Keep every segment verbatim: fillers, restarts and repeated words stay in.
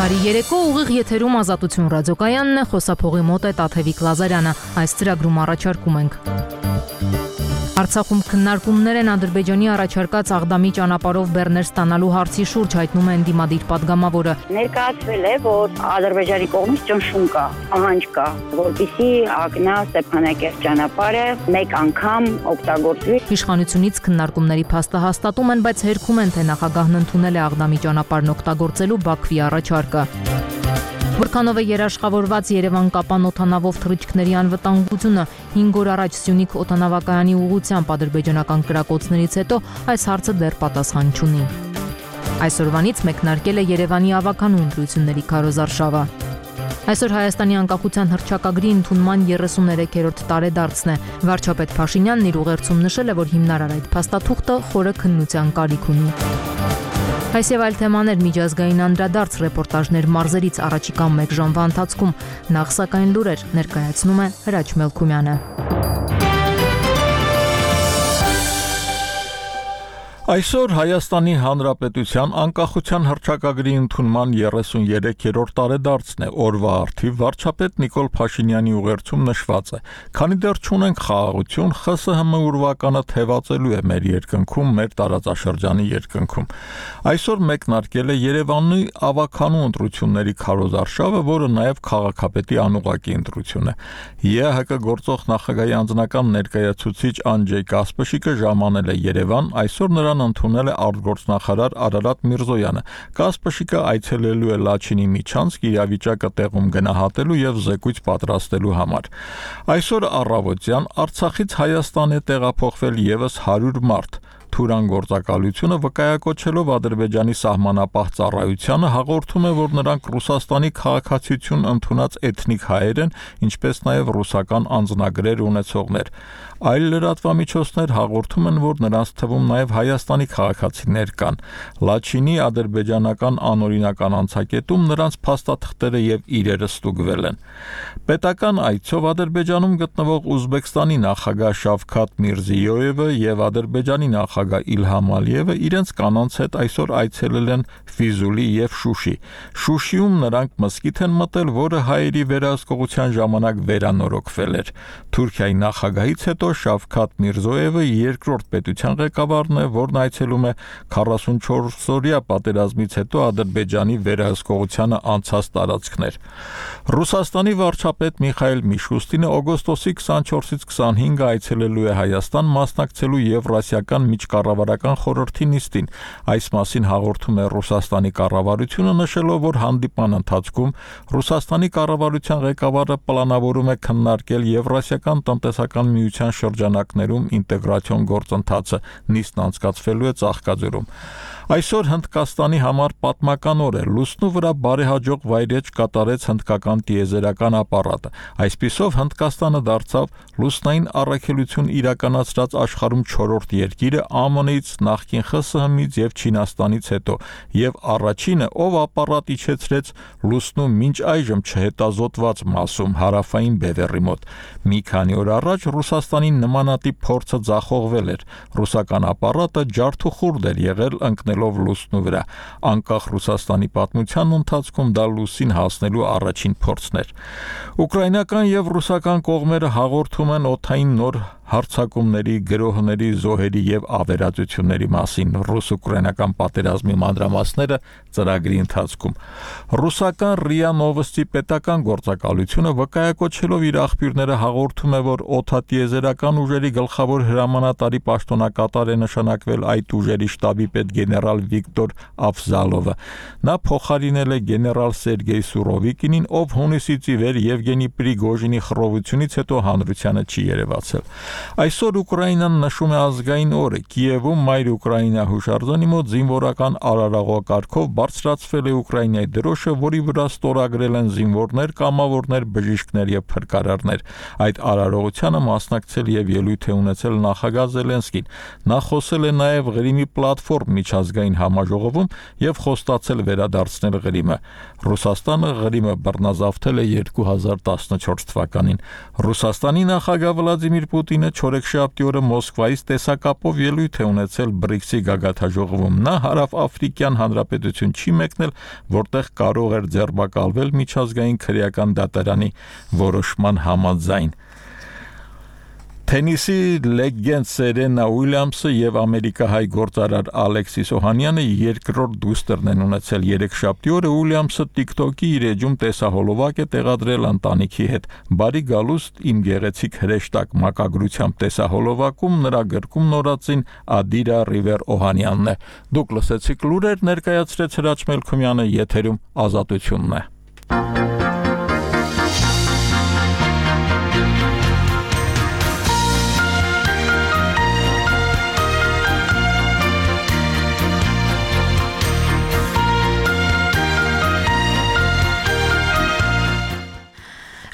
Բարի երեկո, ուղիղ եթերում Ազատություն ռադիոկայանն է, խոսափողի մոտ է Տաթևիկ Լազարյանը։ Այս ծրագրում առաջարկում ենք. Արցախում քննարկումներ են Ադրբեջանի առաջարկած Աղդամի ճանապարհով բեռներ ստանալու հարցի շուրջ, հայտնում է ընդդիմադիր պատգամավորը։ Ներկայացվել է, որ Ադրբեջանի կողմից ճնշում կա, ահանջ կա, որպեսզի Ակնա Ստեփանակերտ ճանապարհը մեկ անգամ օգտագործվի։ Իշխանությունից քննարկումների փաստը հաստատում են, բայց հերքում են, թե նախագահն ընդունել է Աղդամի ճանապարհն օգտագործելու Բաքվի առաջարկը։ Որքանով է երաշխավորված Երևան-Կապան օդանավով թռիչքների անվտանգությունը, հինգ օր առաջ Սյունիք օդանավակայանի ուղղությամբ ադրբեջանական կրակոցներից հետո այս հարցը դեռ պատասխան չունի։ Այսօրվանից մեկնարկել է Երևանի ավականու ընտրությունների քարոզարշավը։ Այսօր Հայաստանի անկախության հռչակագրի ընդունման երեսուներեքերորդ տարեդարձն է։ Վարչապետ Փաշինյանն իր ուղերձում նշել է, որ հիմնարար այդ փաստաթուղթը խորը քննության կարիք ունի։ Այս եւ այլ թեմաներ միջազգային անդրադարձ ռեպորտաժներ մարզերից առաջիկա մեկ ժամվա ընթացքում, նախ սակայն լուրեր ներկայացնում է Հրաչ Մելքումյանը։ Այսօր Հայաստանի Հանրապետության անկախության հռչակագրի ընդունման երեսուներեքերորդ տարեդարձն է, օրվա առթիվ վարչապետ Նիկոլ Փաշինյանի ուղերձում նշված է. Քանի դեռ չունենք խաղաղություն, ԽՍՀՄ ուրվականը թևածելու է մեր երկնքում, մեր տարածաշրջանի երկնքում։ Այսօր մեկնարկել է Երևանի ավականու ընտրությունների քարոզարշավը, որը նաև քաղաքապետի անուղղակի ընտրություն է։ ԵԱՀԿ գործող նախագահի անձնական ներկայացուցիչ Անջեյ Կասպշիկը ժամանել է Երևան, այսօր նրան ընդունել է արտգործնախարար Արարատ Միրզոյանը։ Կասպշիկը այցելելու է Լաչինի միջանցք իրավիճակը տեղում գնահատելու եւ զեկույց պատրաստելու համար։ Այսօր առավոտյան Արցախից Հայաստան է տեղափոխվել եւս հարյուր մարդ։ Թուրան գործակալությունը վկայակոչելով Ադրբեջանի սահմանապահ ծառայությանը հաղորդում է, որ նրանք Ռուսաստանի քաղաքացիություն ընդունած էթնիկ հայեր են, ինչպես նաև ռուսական անձնագրեր ունեցողներ։ Այլ լրատվամիջոցներ հաղորդում են, որ նրանց թվում նաև Հայաստանի քաղաքացիներ կան։ Լաչինի ադրբեջանական անօրինական անցակետում նրանց փաստաթղթերը եւ իրերը ստուգվել են։ Պետական այցով Ադրբեջանում գտնվող Ուզբեկստանի նախագահ Շավքաթ Միրզիյոևը եւ Ադրբեջանի նախագահ Իլհամ Ալիևը իրենց կանանց հետ այսօր այցելել են Ֆիզուլի եւ Շուշի։ Շուշիում նրանք մզկիթ են մտել, որը հայերի վերահսկողության ժամանակ վերանորոգվել էր։ Թուրքիայի նախագահից հետո Շավքաթ Միրզոևը երկրորդ պետության ղեկավարն է, որն այցելում է քառասունչորսօրյա պատերազմից հետո Ադրբեջանի վերահսկողությանը անցած տարածքներ։ Ռուսաստանի վարչապետ Միխայել Միշուստինը օգոստոսի քսանչորսից քսանհինգը այցելելու է Հայաստան, մասնակցելու Եվրասիական միջկառավարական խորհրդի նիստին։ Այս մասին հաղորդում է Ռուսաստանի կառավարությունը, նշելով, որ հանդիպման ընթացքում Ռուսաստանի կառավարության ղեկավարը պլանավորում է քննարկել Եվրասիական տնտեսական միության շրջանակներում ինտեգրացիոն գործընթացը, նիստն անցկացվելու է Ծաղկաձորում։ Այսօր Հնդկաստանի համար պատմական օր է, լուսնու վրա բարեհաջող վայրեջ կատարեց հնդկական տիեզերական ապարատը։ Այսպիսով Հնդկաստանը դարձավ լուսնային առաքելություն իրականացրած աշխարհում չորրորդ երկիրը ԱՄՆ-ից, նախկին ԽՍՀՄ-ից եւ Չինաստանից հետո, եւ առաջինը, ով ապարատ իջեցրեց լուսնու մինչ այժմ չհետազոտված մասում հարավային բևեռի մոտ։ Մի քանի օր առաջ Ռուսաստանի նմանատիպ փորձը ձախողվել էր։ Ռուսական ապարատը ջարդուխուրդ էր եղել ընկնելով լուսնու վրա։ Անկախ Ռուսաստանի պատմության ընթացքում դա լուսին հասնելու առաջին փորձն էր։ Ուկրաինական եւ ռուսական կողմերը հաղորդում են օդային նոր հարձակումների, գրոհների, զոհերի եւ ավերածությունների մասին։ Ռուս-ուկրաինական պատերազմի մանրամասները ծրագրի ընթացքում։ Ռուսական ՌԻԱ Նովոստի պետական գործակալությունը վկայակոչելով իր աղբյուրները հաղորդում է, որ օդատիեզերական ուժերի գլխավոր հրամանատարի պաշտոնակատար է նշանակվել այդ ուժերի շտաբի պետ գեներալ Վիկտոր Ավզալովը։ Նա փոխարինել է գեներալ Սերգեյ Սուրովիկինին, ով հունիսից ի վեր Եվգենի Պրիգոժինի խռովությունից հետո հանրությանը չի երևացել։ Այսօր Ուկրաինան նշում է ազգային օրը։ Կիևում Մայր Ուկրաինա հուշարձանի մոտ զինվորական արարողակարգով բարձրացվել է Ուկրաինայի դրոշը, որի վրա ստորագրել են զինվորներ, կամավորներ, բժիշկներ եւ փրկարարներ։ Այդ արարողությանը մասնակցել եւ ելույթ է ունեցել նախագահ Զելենսկին։ Նա խոսել է նաեւ Ղրիմի պլատֆորմ միջազգային համաժողովում եւ խոստացել վերադարձնել Ղրիմը։ Ռուսաստանը Ղրիմը բռնազավթել է երկու հազար տասնչորս թվականին։ Ռուսաստանի նախագահ Վլադիմիր Պուտինը Փաշինյանը չորեքշաբթի օրը Մոսկվայից տեսակապով ելույթ է ունեցել բրիքսի գագաթնաժողովում։ Նա Հարավաֆրիկյան Հանրապետություն չի մեկնել, որտեղ կարող էր ձերբակալվել միջազգային քրեական դատարանի որոշման համաձայն։ Թենիսի լեգենդ Սերենա Ուիլյամսը եւ ամերիկահայ գործարար Ալեքսիս Օհանյանը երկրորդ դուստերն են ունեցել երեքշաբթի օրը Ուիլյամսը TikTok-ի իր էջում տեսահոլովակ է տեղադրել ընտանիքի հետ։ Բարի գալուստ իմ գեղեցիկ հրեշտակ մակագրությամբ տեսահոլովակում նրա գրքում նորածին Ադիրա Ռիվեր Օհանյանն է։ Դուք լսեցիք լուրեր, ներկայացրեց Հրաչ Մելքումյանը, եթերում Ազատությունն է։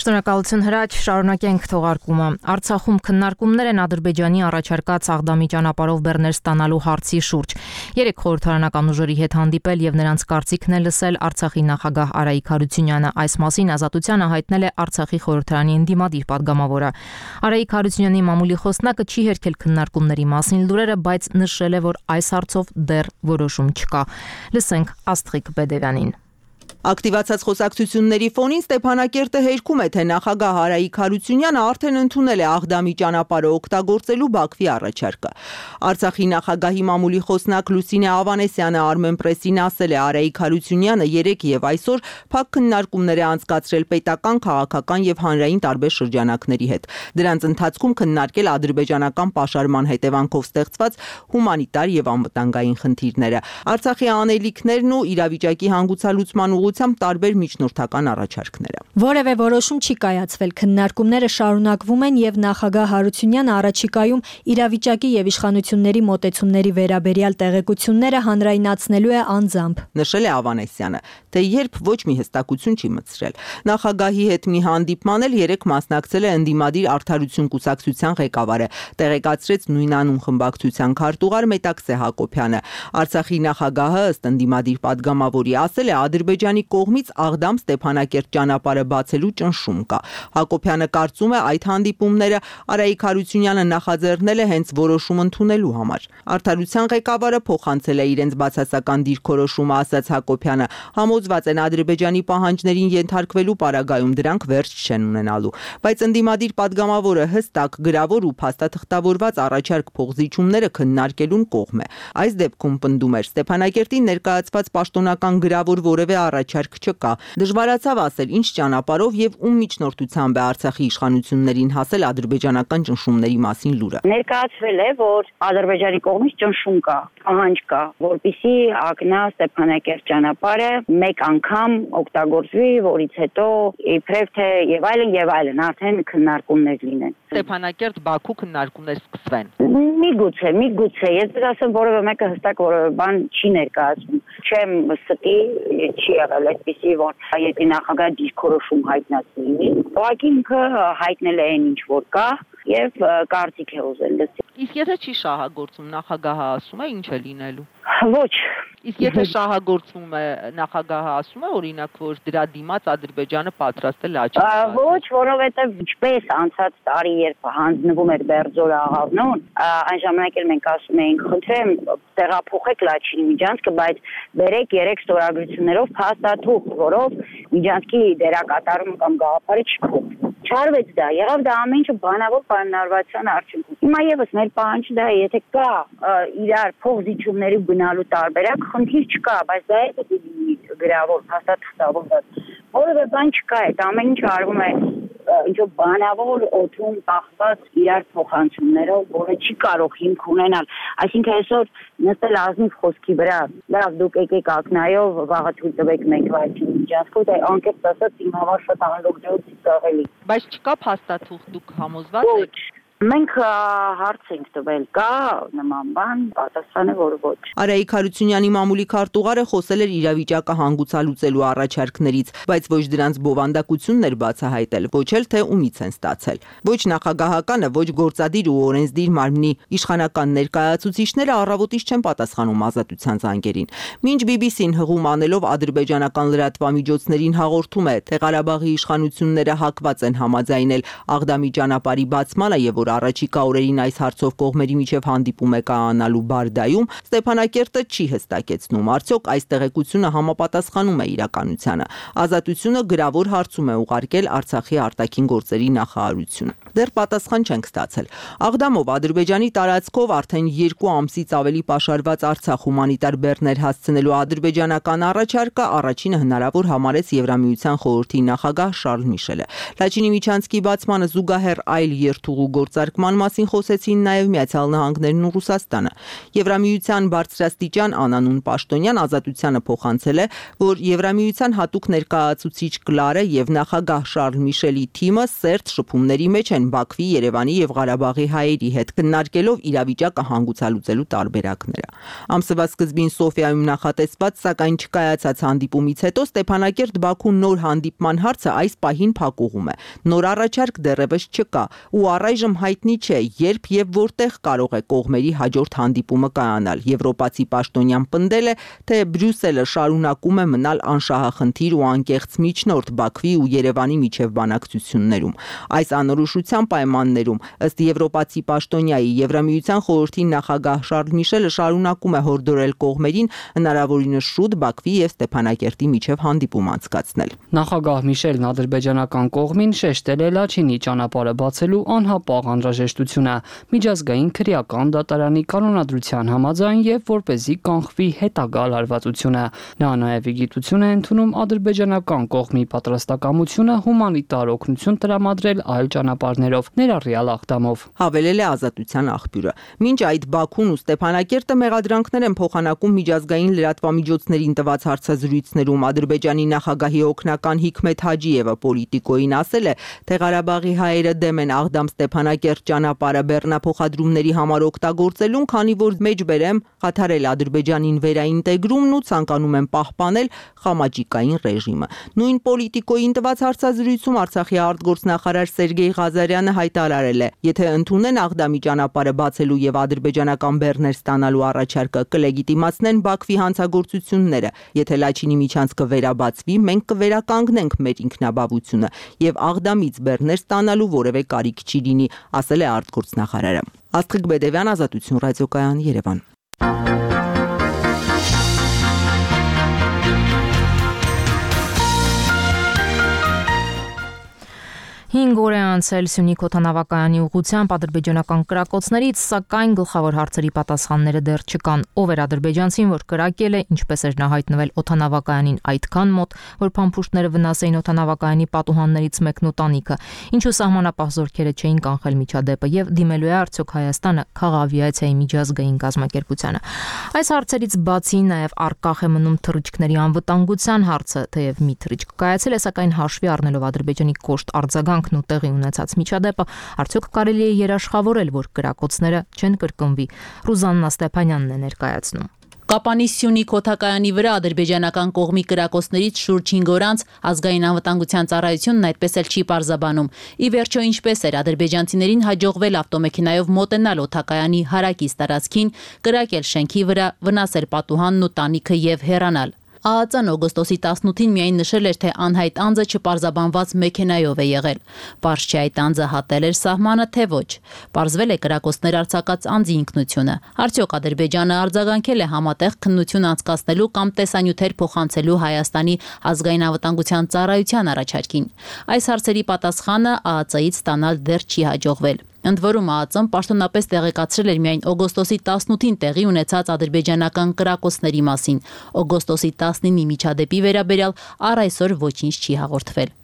Շնորհակալություն Հրաչ, շարունակենք թողարկումը։ Արցախում քննարկումներ են Ադրբեջանի առաջարկած Աղդամի ճանապարհով բեռներ ստանալու հարցի շուրջ։ Երեք խորհրդարանական ուժերի հետ հանդիպել եւ նրանց կարծիքն է լսել Արցախի նախագահ Արայիկ Հարությունյանը։ Այս մասին Ազատությանը հայտնել է Արցախի խորհրդարանի ընդդիմադիր падգամավորը։ Արայիկ Հարությունյանի մամուլի խոսնակը չի հերքել քննարկումների մասին լուրերը, բայց նշել է, որ այս հարցով դեռ որոշում չկա։ Լսենք Աստղիկ Բեդևյանին։ Ակտիվացած խոսակցությունների ֆոնին Ստեփանակերտը հերքում է, թե նախագահ Արայիկ Հարությունյանը արդեն ընդունել է Աղդամի ճանապարհը օգտագործելու Բաքվի առաջարկը։ Արցախի նախագահի մամուլի խոսնակ Լուսինե Ավանեսյանը Armenpress-ին ասել է, Արայիկ Հարությունյանը երեկ եւ այսօր փակ քննարկումներ է անցկացրել պետական, քաղաքական եւ հանրային տարբեր շրջանակների հետ։ Դրանց ընթացքում քննարկել ադրբեջանական պաշարման հետևանքով ստեղծված հումանիտար եւ անվտանգային խնդիրները, Արցախի անելիքներն ու իրավիճակի հանգուցալուծման ուղղությամբ տարբեր միջնորդական առաջարկները։ Որևէ որոշում չի կայացվել, քննարկումները շարունակվում են եւ նախագահ Հարությունյանը առաջիկայում իրավիճակի եւ իշխանությունների մոտեցումների վերաբերյալ տեղեկությունները հանրայնացնելու է անձամբ։ Նշել է Ավանեսյանը, թե երբ ոչ մի հստակություն չի մտցրել։ Նախագահի հետ մի հանդիպման էլ երեք մասնակցել է ընդդիմադիր Արդարություն կուսակցության ղեկավարը, տեղեկացրեց նույնանուն խմբակցության քարտուղար Մետաքսե Հակոբյանը։ Արցախի նախագահը ըստ ընդդիմադիր падգամավորի ասել է, Ադրբեջանի կողմից Աղդամ-Ստեփանակերտ ճանապարհը բացելու ճնշում կա։ Հակոբյանը կարծում է, այդ հանդիպումները Արայիկ Հարությունյանը նախաձեռնել է հենց որոշում ընդունելու համար։ Արդարության ղեկավարը փոխանցել է իրենց բացասական դիրքորոշումը, ասաց Հակոբյանը, համոզված են Ադրբեջանի պահանջներին ենթարկվելու պարագայում դրանք վերջ չեն ունենալու։ Բայց ընդդիմադիր падգամավորը հստակ, գրավոր ու փաստաթղթավորված առաջարկ փոխզիջումները քննարկելուն կողմ է։ Այս դեպքում պնդում էր, Ստեփանակերտին ներկայացված պաշտոնական գրավոր որևէ առաջարկ չկա։ Դժվարացավ ասել, ինչ ճանապարհով եւ ում միջնորդությամբ է Արցախի իշխանություններին հասել ադրբեջանական ճնշումների մասին լուրը։ Ներկայացվել է, որ Ադրբեջանի կողմից ճնշում կա, պահանջ կա, որպեսզի ակնա Ստեփանակերտ ճանապարհը մեկ անգամ օգտագործվի, որից հետո իբրև թե եւ այլն եւ այլն արդեն քննարկումներ լինեն։ Ստեփանակերտ-Բաքու քննարկումներ սկսվեն։ Միգուցե, միգուցե, ես ասեմ, որևէ մեկը հստակ որևէ բան չի ներկայացնում։ Չեմ ստի, չի եղել այդպեսի, որ եթե նախագահ դիրքորոշում հայտնացնի, ուղղակի ինքը հայտնել է այն ինչ որ կա եւ կարծիք է ուզել լսել։ Իսկ եթե չի շահագործում, նախագահը ասում է ինչ է լինելու։ Ոչ։ Իսկ եթե շահագործվում է, նախագահը ասում է օրինակ, որ դրա դիմաց Ադրբեջանը պատրաստ է լաչի։ Ոչ, որովհետեւ ինչպես անցած տարի, երբ հանձնվում էր Բերձորը աղավնուն, այն ժամանակ էլ մենք ասում էինք, խնդրեմ, տեղափոխեք Լաչինի միջանցքը, բայց բերեք երեք ստորագրություններով փաստաթուղթ, որով միջանցքի դերակատարում կամ գաղափարը չփոխվի։ Չարվեց դա, եղավ դա ամեն ինչը բանավոր պայմանավորվածության արդյունքում։ Հիմա եւս մեր պահանջը դա է, եթե կա իրար փոխզիջումների գնալու տարբերակ, խնդիր չկա, բայց դա է պետք է լինի գրավոր, փաստաթղթավորված։ Որևէ բան չկա, այդ ամեն ինչը արվում է ինչ-որ բանավոր օդում կախված իրար փոխանցումներով, որը չի կարող հիմք ունենալ։ Այսինքն այսօր նստել ազնիվ խոսքի վրա, լավ դուք եկեք ակնայով, վաղը թույլ տվեք մեկ վայրի միջանցքով, դա անկեղծ ասած իմ համար շատ անհանդոգջություն ծաղելի։ Բայց չկա փաստաթուղթ, դուք համոզված եք։ Մենք հարց ենք տվել, կա նման բան, պատասխանը որ ոչ։ Արայիկ Հարությունյանի մամուլի քարտուղարը խոսել էր իրավիճակը հանգուցալուծելու առաջարկներից, բայց ոչ դրանց բովանդակությունն էր բացահայտել, ոչ էլ թե ումից են ստացել։ Ոչ նախագահականը, ոչ գործադիր ու օրենսդիր մարմնի իշխանական ներկայացուցիչները առավոտից չեն պատասխանում ազատության զանգերին։ Մինչ բի բի սին հղում անելով ադրբեջանական լրատվամիջոցներին հաղորդում է, թե Ղարաբաղի իշխանությունները հակված են համաձայնել Աղդամի ճանապարհի բացմանը եւ որ որ առաջիկա օրերին այս հարցով կողմերի միջև հանդիպում է կայանալու Բարդայում, Ստեփանակերտը չի հստակեցնում, արդյոք այս տեղեկությունը համապատասխանում է իրականությանը։ Ազատությունը գրավոր հարցում է ուղարկել Արցախի արտաքին գործերի նախարարություն։ Դեռ պատասխան չենք ստացել։ Աղդամով Ադրբեջանի տարածքով արդեն երկու ամսից ավելի պաշարված Արցախ հումանիտար բեռներ հասցնելու ադրբեջանական առաջարկը առաջինը հնարավոր համարեց Եվրամիության խորհրդի նախագահ Շարլ Միշելը։ Լաչինի միջանցքի բացմանը զուգահեռ այլ երթուղու գործարկման մասին խոսեցին նաև Միացյալ Նահանգներն ու Ռուսաստանը։ Եվրամիության բարձրաստիճան անանուն պաշտոնյան Ազատությանը փոխանցել է, որ Եվրամիության հատուկ ներկայացուցիչ Կլարը եւ նախագահ Շարլ Միշելի թիմը սերտ շփումների մեջ են Բաքվի, Երևանի եւ Ղարաբաղի հայերի հետ քննարկելով իրավիճակը հանգուցալուծելու տարբերակները։ Ամսվա սկզբին Սոֆիայում նախատեսված, սակայն չկայացած հանդիպումից հետո Ստեփանակերտ-Բաքու նոր հանդիպման հարցը այս պահին փակուղում է։ Նոր առաջարկ դեռևս չկա ու առայժմ հայտնի չէ, երբ եւ որտեղ կարող է կողմերի հաջորդ հանդիպումը կայանալ։ Եվրոպացի պաշտոնյան պնդել է, թե Բրյուսելը շարունակում է մնալ անշահախնդիր ու անկեղծ միջնորդ Բաքվի ու Երևանի միջև բանակցություններում։ Այս անորոշության պայմաններում ըստ եվրոպացի պաշտոնյայի Եվրամիության խորհրդի նախագահ Շարլ Միշելը շարունակում է հորդորել կողմերին հնարավորինս շուտ Բաքվի եւ Ստեփանակերտի միջև հանդիպում անցկացնել։ Նախագահ Միշելն ադրբեջանական կողմին շեշտել է Լաչինի ճանապարհը բացելու անհապաղ անհրաժեշտությունը միջազգային քրեական դատարանի կանոնադրության համաձայն եւ որպեսզի կանխվի հետագա լարվածությունը։ Նա նաեւ իգիտություն է ընդունում ադրբեջանական կողմի պատրաստակամությունը հումանիտար օգնություն տրամադրել այլ ճանապարհներով, ներառյալ Աղդամով։ Հավելել է Ազատության աղբյուրը։ Մինչ այդ Բաքուն ու Ստեփանակերտը մեղադրանքներ են փոխանակում միջազգային լրատվամիջոցներին տված հարցազրույցներում, Ադրբեջանի նախագահի օգնական Հիկմեթ Հաջիևը Պոլիտիկոին ասել է, թե Ղարաբաղի հայերը դեմ են Աղդամ-Ստեփանակերտ ճանապարհը բեռնափոխադրումների համար օգտագործելուն, քանի որ մեջբերեմ խաթարել Ադրբեջանին վերաինտեգրումն ու ցանկանում են պահպանել խամաճիկային ռեժիմը։ Նույն Պոլիտիկոին տված հարցազրույցում Արցախի արտգործնախարար Սերգեյ Ղազարյանը հայտարարել է, եթե ընդունեն Աղդամի ճանապարհը բացելու եւ ադրբեջանական բեռներ ստանալու առաջարկը, կլեգիտիմացնեն Բաքվի հանցագործությունները։ Եթե Լաչինի միջանցքը վերաբացվի, մենք կվերականգնենք մեր ինքնաբավությունը եւ Աղդամից բեռներ ստանալու որևէ կարիք չի լինի, ասել է արտգործնախարարը։ Աստղիկ Բեդևյան, Ազատություն ռադիոկայան, Երևան։ հինգ օր է անցել Սյունիք օդանավակայանի ուղղությամբ ադրբեջանական կրակոցներից, սակայն գլխավոր հարցերի պատասխանները դեռ չկան։ Ով էր ադրբեջանցին, որ կրակել է, ինչպես էր նա հայտնվել օդանավակայանին այդքան մոտ, որ փամփուշտները վնասեին օդանավակայանի պատուհաններից մեկն ու տանիքը, ինչու սահմանապահ զորքերը չէին կանխել միջադեպը եւ դիմելու է արդյոք Հայաստանը քաղավիացիայի միջազգային կազմակերպությանը։ Այս հարցերից բացի նաեւ առկախ է մնում թռիչքների անվտանգության հարցը, թեև մի թռիչք կայացել է, սակայն հաշվի առնելով Ադրբեջանի կոշտ արձագանք ու տեղի ունեցած միջադեպը, արդյոք կարելի է երաշխավորել, որ կրակոցները չեն կրկնվի։ Ռուզաննա Ստեփանյանն է ներկայացնում։ Կապանի Սյունիք օդակայանի վրա ադրբեջանական կողմի կրակոցներից շուրջ հինգ օր անց ազգային անվտանգության ծառայությունն այդպես էլ չի պարզաբանում։ Ի վերջո ինչպես էր ադրբեջանցիներին հաջողվել ավտոմեքենայով մոտենալ օդակայանի հարակից տարածքին, կրակել շենքի վրա, վնասել պատուհանն ու տանիքը եւ հեռանալ։ ԱԱԾ-ն օգոստոսի տասնութին միայն նշել էր, թե անհայտ անձը չպարզաբանված մեքենայով է եղել։ Պարզ չէ այդ անձը հատել էր սահմանը, թե ոչ։ Պարզվել է կրակոցներ արձակած անձի ինքնությունը։ Արդյոք Ադրբեջանը արձագանքել է համատեղ քննություն անցկացնելու կամ տեսանյութեր փոխանցելու Հայաստանի ազգային անվտանգության ծառայության առաջարկին։ Այս հարցերի պատասխանը ԱԱԾ-ից ստանալ դեռ չի հաջողվել։ Ընդ որում ԱԱԾ-ն պաշտոնապես տեղեկացրել էր միայն օգոստոսի տասնութին տեղի ունեցած ադրբեջանական կրակոցների մասին։ Օգոստոսի տասնինի միջադեպի վերաբերյալ առ այսօր ոչինչ չի հաղորդվել։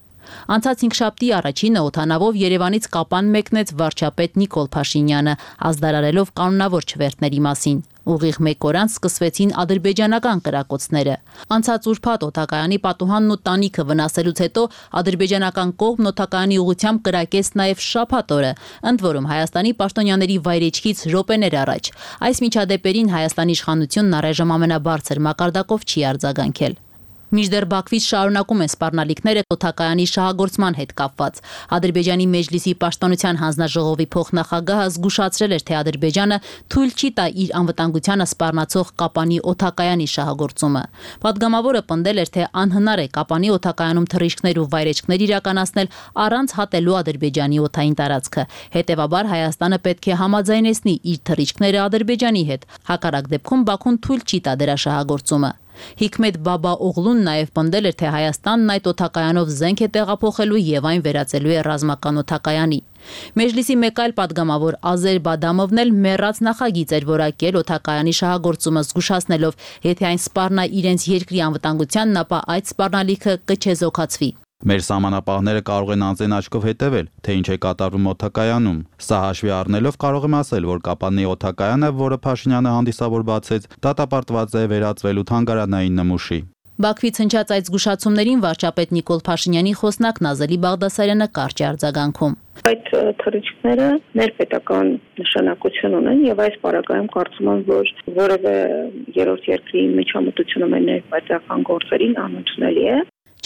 Անցած հինգշաբթի առաջինը օդանավով Երևանից Կապան մեկնեց վարչապետ Նիկոլ Փաշինյանը, ազդարարելով կանոնավոր չվերթների մասին։ Ուղիղ մեկ օր անց սկսվեցին ադրբեջանական կրակոցները։ Անցած ուրբաթ օդակայանի պատուհանն ու տանիքը վնասելուց հետո ադրբեջանական կողմն օդակայանի ուղղությամբ կրակեց նաև շաբաթ օրը, ընդ որում Հայաստանի պաշտոնյաների վայրեջքից րոպեներ առաջ։ Այս միջադեպերին Հայաստանի իշխանությունն առայժմ ամենաբարձր մակարդակով չի արձագանքել։ Մինչդեռ Բաքվից շարունակում են սպառնալիքները օդակայանի շահագործման հետ կապված։ Ադրբեջանի Մեջլիսի պաշտպանության հանձնաժողովի փոխնախագահը զգուշացրել էր, թե Ադրբեջանը թույլ չի տա իր անվտանգությանը սպառնացող Կապանի օդակայանի շահագործումը։ Պատգամավորը պնդել էր, թե անհնար է Կապանի օդակայանում թռիչքներ ու վայրէջքներ իրականացնել առանց հատելու Ադրբեջանի օդային տարածքը։ Հետևաբար Հայաստանը պետք է համաձայնեցնի իր թռիչքները Ադրբեջանի հետ։ Հակառակ դեպքում Բաքուն թույլ չի տա դրա շահագործումը։ Հիկմետ Բաբա Օղլուն նաև պնդել էր, թե Հայաստանն այդ օդակայանով զենք է տեղափոխելու եւ այն վերածելու է ռազմական օդակայանի։ Մեջլիսի մեկ այլ падգամավոր Ազեր Բադամովն էլ մեռած նախագիծ էր որակել օդակայանի շահագործումը զգուշացնելով, եթե այն սպառնա իրենց երկրի անվտանգությանն, ապա այդ սպառնալիքը կչեզոքացվի։ Մեր սահմանապահները կարող են անձեն աչքով հետևել, թե ինչ է կատարվում օդակայանում։ Սա հաշվի առնելով կարող եմ ասել, որ Կապանի օդակայանը, որը Փաշինյանը հանդիսավոր բացեց, դատապարտված է վերածվելու թանգարանային նմուշի։ Բաքվից հնչած այդ զգուշացումներին վարչապետ Նիկոլ Փաշինյանի խոսնակ Նազելի Բաղդասարյանը կարճ է արձագանքում։ Այդ թռիչքները ներպետական նշանակություն ունեն եւ այս պարագայում կարծում եմ, որ որևէ երրորդ երկրի միջամտությունը մեր ներպետական գործերին անընդունելի է։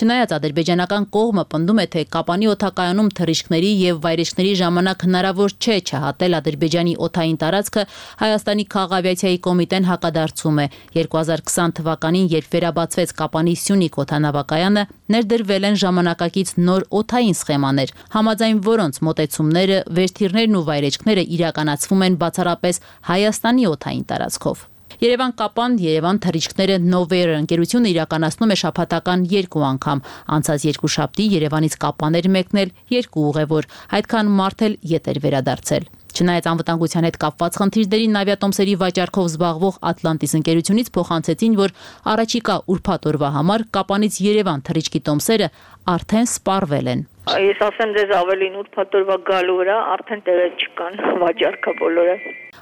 Չնայած ադրբեջանական կողմը պնդում է, թե Կապանի օդակայանում թռիչքների եւ վայրէջքների ժամանակ հնարավոր չէ չհատել Ադրբեջանի օդային տարածքը, Հայաստանի քաղաքավիացիայի կոմիտեն հակադարձում է։ երկու հազար քսան թվականին, երբ վերաբացվեց Կապանի Սյունիք օդանավակայանը, ներդրվել են ժամանակակից նոր օդային սխեմաներ, համաձայն որոնց մոտեցումները, վերթիրներն ու վայրէջքները իրականացվում են բացառապես Հայաստանի օդային տարածքով։ Երևան Կապան, Երևան թռիչքները Նովեր ընկերությունը իրականացնում է շաբաթական երկու անգամ։ Անցած երկուշաբթի Երևանից Կապան էր մեկնել երկու ուղևոր, այդքան մարդ էլ ետ էր վերադարձել։ Չնայած անվտանգության հետ կապված խնդիրներին ավիատոմսերի վաճառքով զբաղվող Atlantis ընկերությունից փոխանցեցին, որ առաջիկա ուրբաթ օրվա համար Կապանից Երևան թռիչքի տոմսերը արդեն սպառվել են։ Ես ասեմ ձեզ ավելին ուրբաթ օրվա գալու վրա արդեն տեղեր չկան վաճառքը բոլորը։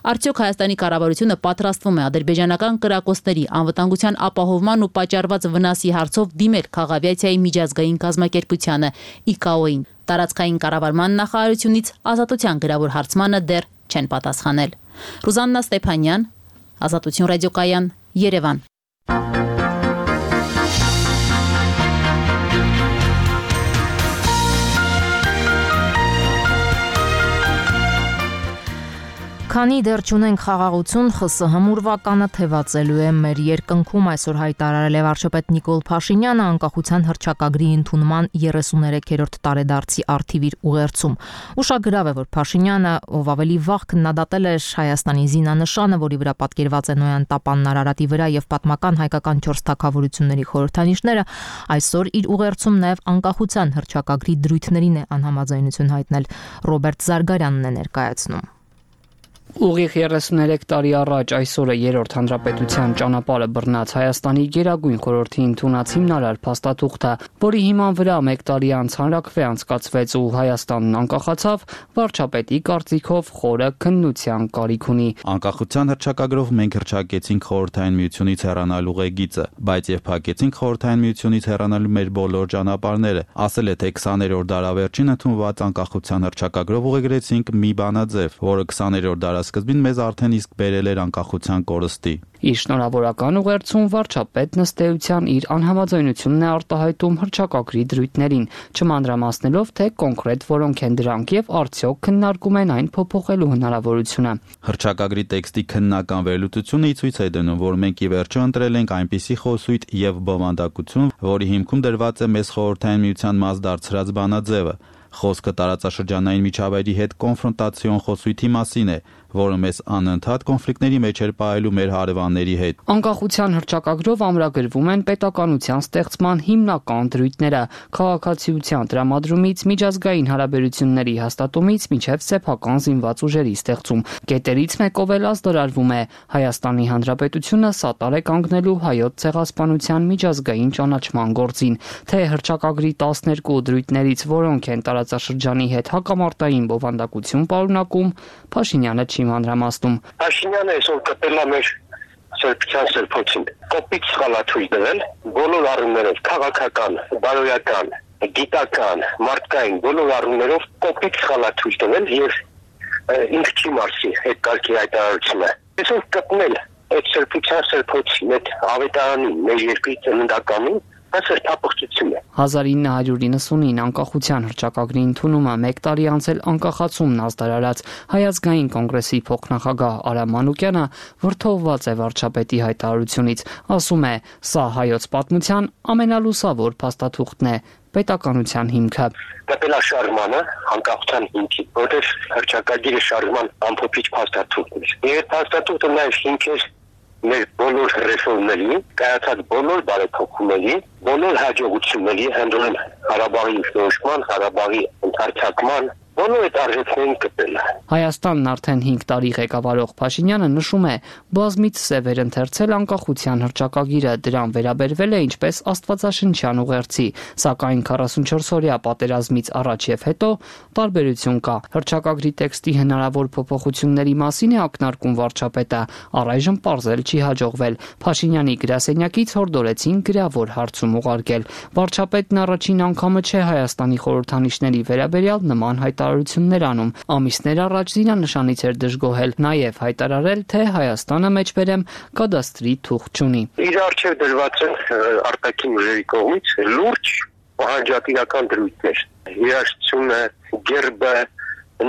Արդյոք Հայաստանի կառավարությունը պատրաստվում է ադրբեջանական կրակոցների անվտանգության ապահովման ու պատճառված վնասի հարցով դիմել քաղաքավիացիայի միջազգային կազմակերպությանը ի կա օ-ին։ Տարածքային կառավարման նախարարությունից Ազատության գրավոր հարցմանը դեռ չեն պատասխանել։ Ռուզաննա Ստեփանյան, Ազատություն ռադիոկայան, Երևան։ Քանի դեռ չունենք խաղաղություն, Խ ՍՀ ուրվականը թևածելու է մեր երկնքում, այսօր հայտարարել է վարչապետ Նիկոլ Փաշինյանը անկախության հռչակագրի ընդունման երեսուներեքերորդ տարեդարձի առթիվ իր ուղերձում։ Ուշագրավ է, որ Փաշինյանը, ով ավելի վաղ քննադատել էր Հայաստանի զինանշանը, որի վրա պատկերված է Նոյան տապանն Արարատի վրա եւ պատմական հայկական չորս թագավորությունների խորհրդանիշները, այսօր իր ուղերձում նաեւ անկախության հռչակագրի դրույթներին է անհամաձայնություն հայտնել։ Ռոբերտ Զարգարյանն է ներկայացնում։ Ուղիղ երեսուներեք տարի առաջ այսօրը երրորդ հանրապետության ճանապարհը բռնած Հայաստանի Գերագույն խորհրդի ընդունած հիմնարար փաստաթուղթը, որի հիման վրա մեկ տարի անց հանրաքվե անցկացվեց ու Հայաստանն անկախացավ, վարչապետի կարծիքով խորը քննության կարիք ունի։ Անկախության հռչակագրով մենք հռչակեցինք Խորհրդային Միությունից հեռանալու ղեգիծը, բայց եւ փակեցինք Խորհրդային Միությունից հեռանալու մեր բոլոր ճանապարհները։ Ասել է, թե քսաներորդ դարավերջին ընդունված անկախության հռչակագրով ուղեգրեցինք մի բանաձև, որը քսաներորդ դարասկզբին մեզ արդեն իսկ բերել էր անկախության կորստի։ Իր շնորհավորական ուղերձում վարչապետն ըստ էության իր անհամաձայնությունն է արտահայտում հռչակագրի դրույթներին, չմանրամասնելով, թե կոնկրետ որոնք են դրանք եւ արդյոք քննարկում են այն փոփոխելու հնարավորությունը։ Հռչակագրի տեքստի քննական վերլուծությունը ի ցույց է դնում, որ մենք ի վերջո ընտրել ենք այնպիսի խոսույթ եւ բովանդակություն, որի հիմքում դրված է մեզ Խորհրդային Միության մաս դարձրած բանաձևը։ Խոսքը տարածաշրջանային միջավայրի հետ կոնֆրոնտացիոն խոսույթի մասին է, որը մեզ անընդհատ կոնֆլիկտների մեջ էր պահելու մեր հարևանների հետ։ Անկախության հռչակագրով ամրագրվում են պետականության ստեղծման հիմնական դրույթները՝ քաղաքացիության տրամադրումից միջազգային հարաբերությունների հաստատումից մինչև սեփական զինված ուժերի ստեղծում։ Կետերից մեկով էլ ազդարարվում է Հայաստանի Հանրապետությունը սատար է կանգնելու հայոց ցեղասպանության միջազգային ճանաչման գործին, թե հռչակագրի տասներկու դրույթներից որոնք են տարածաշրջանի հետ հակամարտային բովանդակություն պարունակում, Փաշինյանը չի մանրամասնում։ Փաշինյանը այսօր կտել է մեր սրբության սրբոցին։ Կոպիտ սխալաթույլ դնել բոլոր առումներով, քաղաքական, բարոյական, գիտական, մարդկային բոլոր առումներով կոպիտ սխալաթույլ դնել եւ ինքը չի մարսի այդ կարգի հայտարարությունը։ Այսօր կտնել այդ սրբության սրբոցին, այդ ավետարանին, մեր երկրի ծննդականին Դա սրտապղծություն է։ հազար ինը հարյուր իննսունինը անկախության հռչակագրի ընդունումը մեկ տարի անց էլ անկախացումն ազդարարած Հայազգային կոնգրեսի փոխնախագահ Արամ Մանուկյանը վրդովված է վարչապետի հայտարարությունից, ասում է, սա հայոց պատմության ամենալուսավոր փաստաթուղթն է, պետականության հիմքը։ Կապելաշարժմանը անկախության հիմքի, որտեղ հռչակագիրը շարժման ամփոփիչ փաստաթուղթն է։ Եվ փաստաթուղթը նաև հիմք է մեր բոլոր ռեֆորմների, կայացած բոլոր բարեփոխումների, բոլոր հաջողությունների, հանդուրժեն Ղարաբաղի ինքնորոշման, Ղարաբաղի ընդարձակման, բոլոր այդ արժեքներին կպել է։ Հայաստանն արդեն հինգ տարի ղեկավարող Փաշինյանը նշում է, բազմից սևեր ընթերցել անկախության հռչակագիրը, դրան վերաբերվել է ինչպես աստվածաշնչյան ուղերձի, սակայն քառասունչորս-օրյա պատերազմից առաջ եւ հետո տարբերություն կա։ Հռչակագրի տեքստի հնարավոր փոփոխությունների մասին է ակնարկում վարչապետը, առայժմ պարզել չի հաջողվել։ Փաշինյանի գրասենյակից հորդորեցին գրավոր հարցում ուղարկել։ Վարչապետն առաջին անգամը չէ Հայաստանի խորհրդանիշների վերաբերյալ նման հայտարարություններ անում։ Ամիսներ առաջ զինանշանից էր դժգոհել, նաև հայտարարել, թե Հայաստանը մեջբերեմ կադաստրի թուղթ չունի։ Իր առջև դրված են արտաքին ուժերի կողմից լուրջ պահանջատիրական դրույթներ։ Երաժշտությունը, գերբը,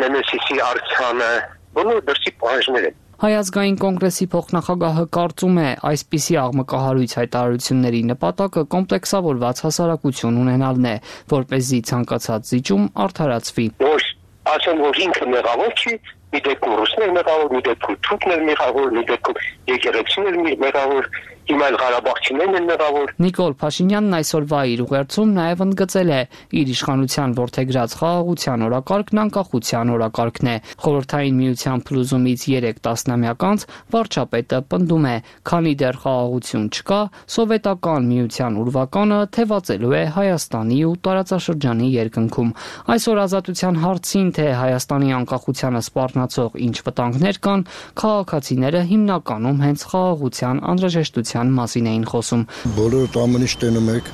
նեմեսիսի արձանը, բոլոր դրսի պահանջներ են։ Հայազգային կոնգրեսի փոխնախագահը կարծում է, այսպիսի աղմկահարույց հայտարարությունների նպատակը կոմպլեքսավորված հասարակություն ունենալն է, որպեսզի ցանկացած զիջում արդարացվի։ Որ ասեն, որ ինքը մեղավոր չի, մի դեպքում ռուսներ մեղավոր, մի դեպքում թուրքներ մեղավոր, մի դեպքում եկեղեցիներ մեղավոր, հիմա էլ ղարաբաղցիներն են մեղավոր։ Նիկոլ Փաշինյանն այսօրվա իր ուղերձում նաև ընդգծել է, իր իշխանության որդեգրած խաղաղության օրակարգն անկախության օրակարգն է։ Խորհրդային միության փլուզումից երեք տասնամյակ անց վարչապետը պնդում է, քանի դեռ խաղաղություն չկա, սովետական միության ուրվականը թևածելու է Հայաստանի ու տարածաշրջանի երկնքում։ Այսօր ազատության հարցին, թե Հայաստանի անկախությանը սպառնացող ինչ վտանգներ կան, քաղաքացիները հիմնականում հենց խաղաղության անհրաժեշտության մասին էին խոսում։ Բոլորդ ամեն ինչ տենում եք,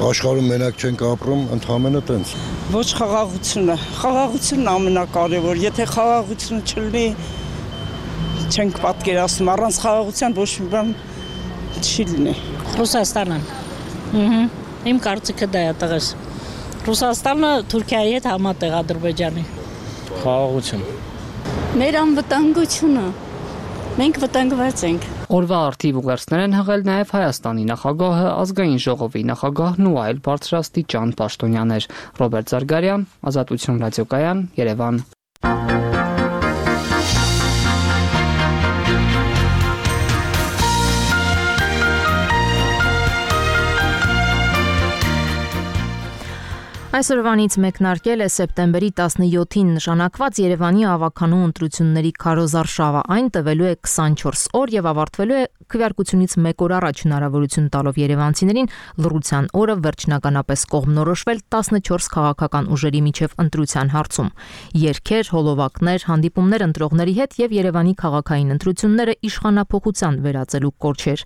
աշխարհում մենակ չենք ապրում, ընդհանրապես տենց։ Ոչ խաղաղությունը, խաղաղությունն ամենակարևոր, եթե խաղաղություն չլինի, չենք պատկերացնում, առանց խաղաղության ոչ մի բան չի լինի։ Ռուսաստանը։ Ահա, իմ կարծիքը դա է տղես։ Ռուսաստանը Թուրքիայի հետ համատեղ Ադրբեջանի։ Խաղաղություն։ Մեր անվտանգությունը։ Մենք վտանգված ենք։ Օրվա արդիվ ուղերձներ են հղել նաև Հայաստանի նախագահը, ազգային ժողովի նախագահն ու այլ բարձրաստիճան պաշտոնյաներ։ Ռոբերտ Զարգարյան, Ազատություն ռադիոկայան, Երևան։ Այսօրվանից մեկնարկել է սեպտեմբերի տասնյոթին նշանակված Երևանի ավականու ընտրությունների քարոզարշավը։ Այն տևելու է քսանչորս օր եւ ավարտվելու է քվեարկությունից մեկ օր առաջ, հնարավորություն տալով երևանցիներին լռության օրը վերջնականապես կողմնորոշվել տասնչորս քաղաքական ուժերի միջև ընտրության հարցում։ Երգեր, հոլովակներ, հանդիպումներ ընտրողների հետ եւ Երևանի քաղաքային ընտրությունները իշխանափոխության վերածելու կորչեր։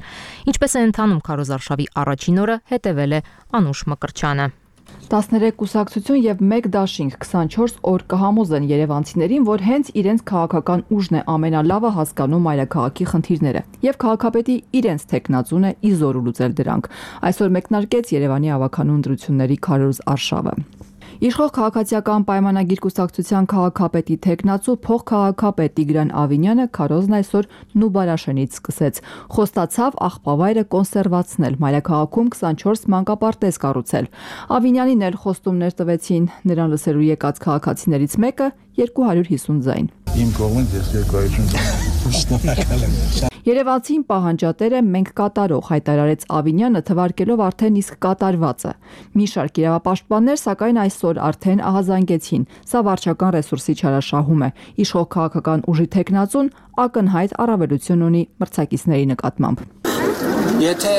Ինչպես է ընթանում քարոզարշավի առաջին օրը, հետևել է Անուշ Մկրտչյանը։ տասներեք կուսակցություն եւ մեկ դաշինք քսանչորս օր կհամոզեն երևանցիներին, որ հենց իրենց քաղաքական ուժն է ամենալավը հասկանում մայրաքաղաքի խնդիրները եւ քաղաքապետի իրենց տեխնացուն է իզորու լուծել դրանք։ Այսօր մեկնարկեց Երևանի ավականու ընտրությունների քարոզ արշավը։ Իշխող քաղաքացիական պայմանագիր կուսակցության քաղաքապետի տեխնացու փոխքաղաքապետ Տիգրան Ավինյանը քարոզն այսօր Նուբարաշենից սկսեց։ Խոստացավ աղբավայրը կոնսերվացնել, մայրաքաղաքում քսանչորս մանկապարտեզ կառուցել։ Ավինյանին էլ խոստումներ տվեցին, նրան լսելու եկած քաղաքացիներից մեկը երկու հարյուր հիսուն ձայն։ Իմ կողմից ես երկու հարյուր հիսուն շնորհակալ եմ։ Երևանցին պահանջատեր է մենք կատարող, հայտարարեց Ավինյանը, թվարկելով արդեն իսկ կատարվածը։ Մի շարք իրավապաշտպաններ սակայն այսօր արդեն ահազանգեցին։ Սա վարչական ռեսուրսի չարաշահում է։ Իշխող քաղաքական ուժի տեխնացուն ակնհայտ առավելություն ունի մրցակիցների նկատմամբ։ Եթե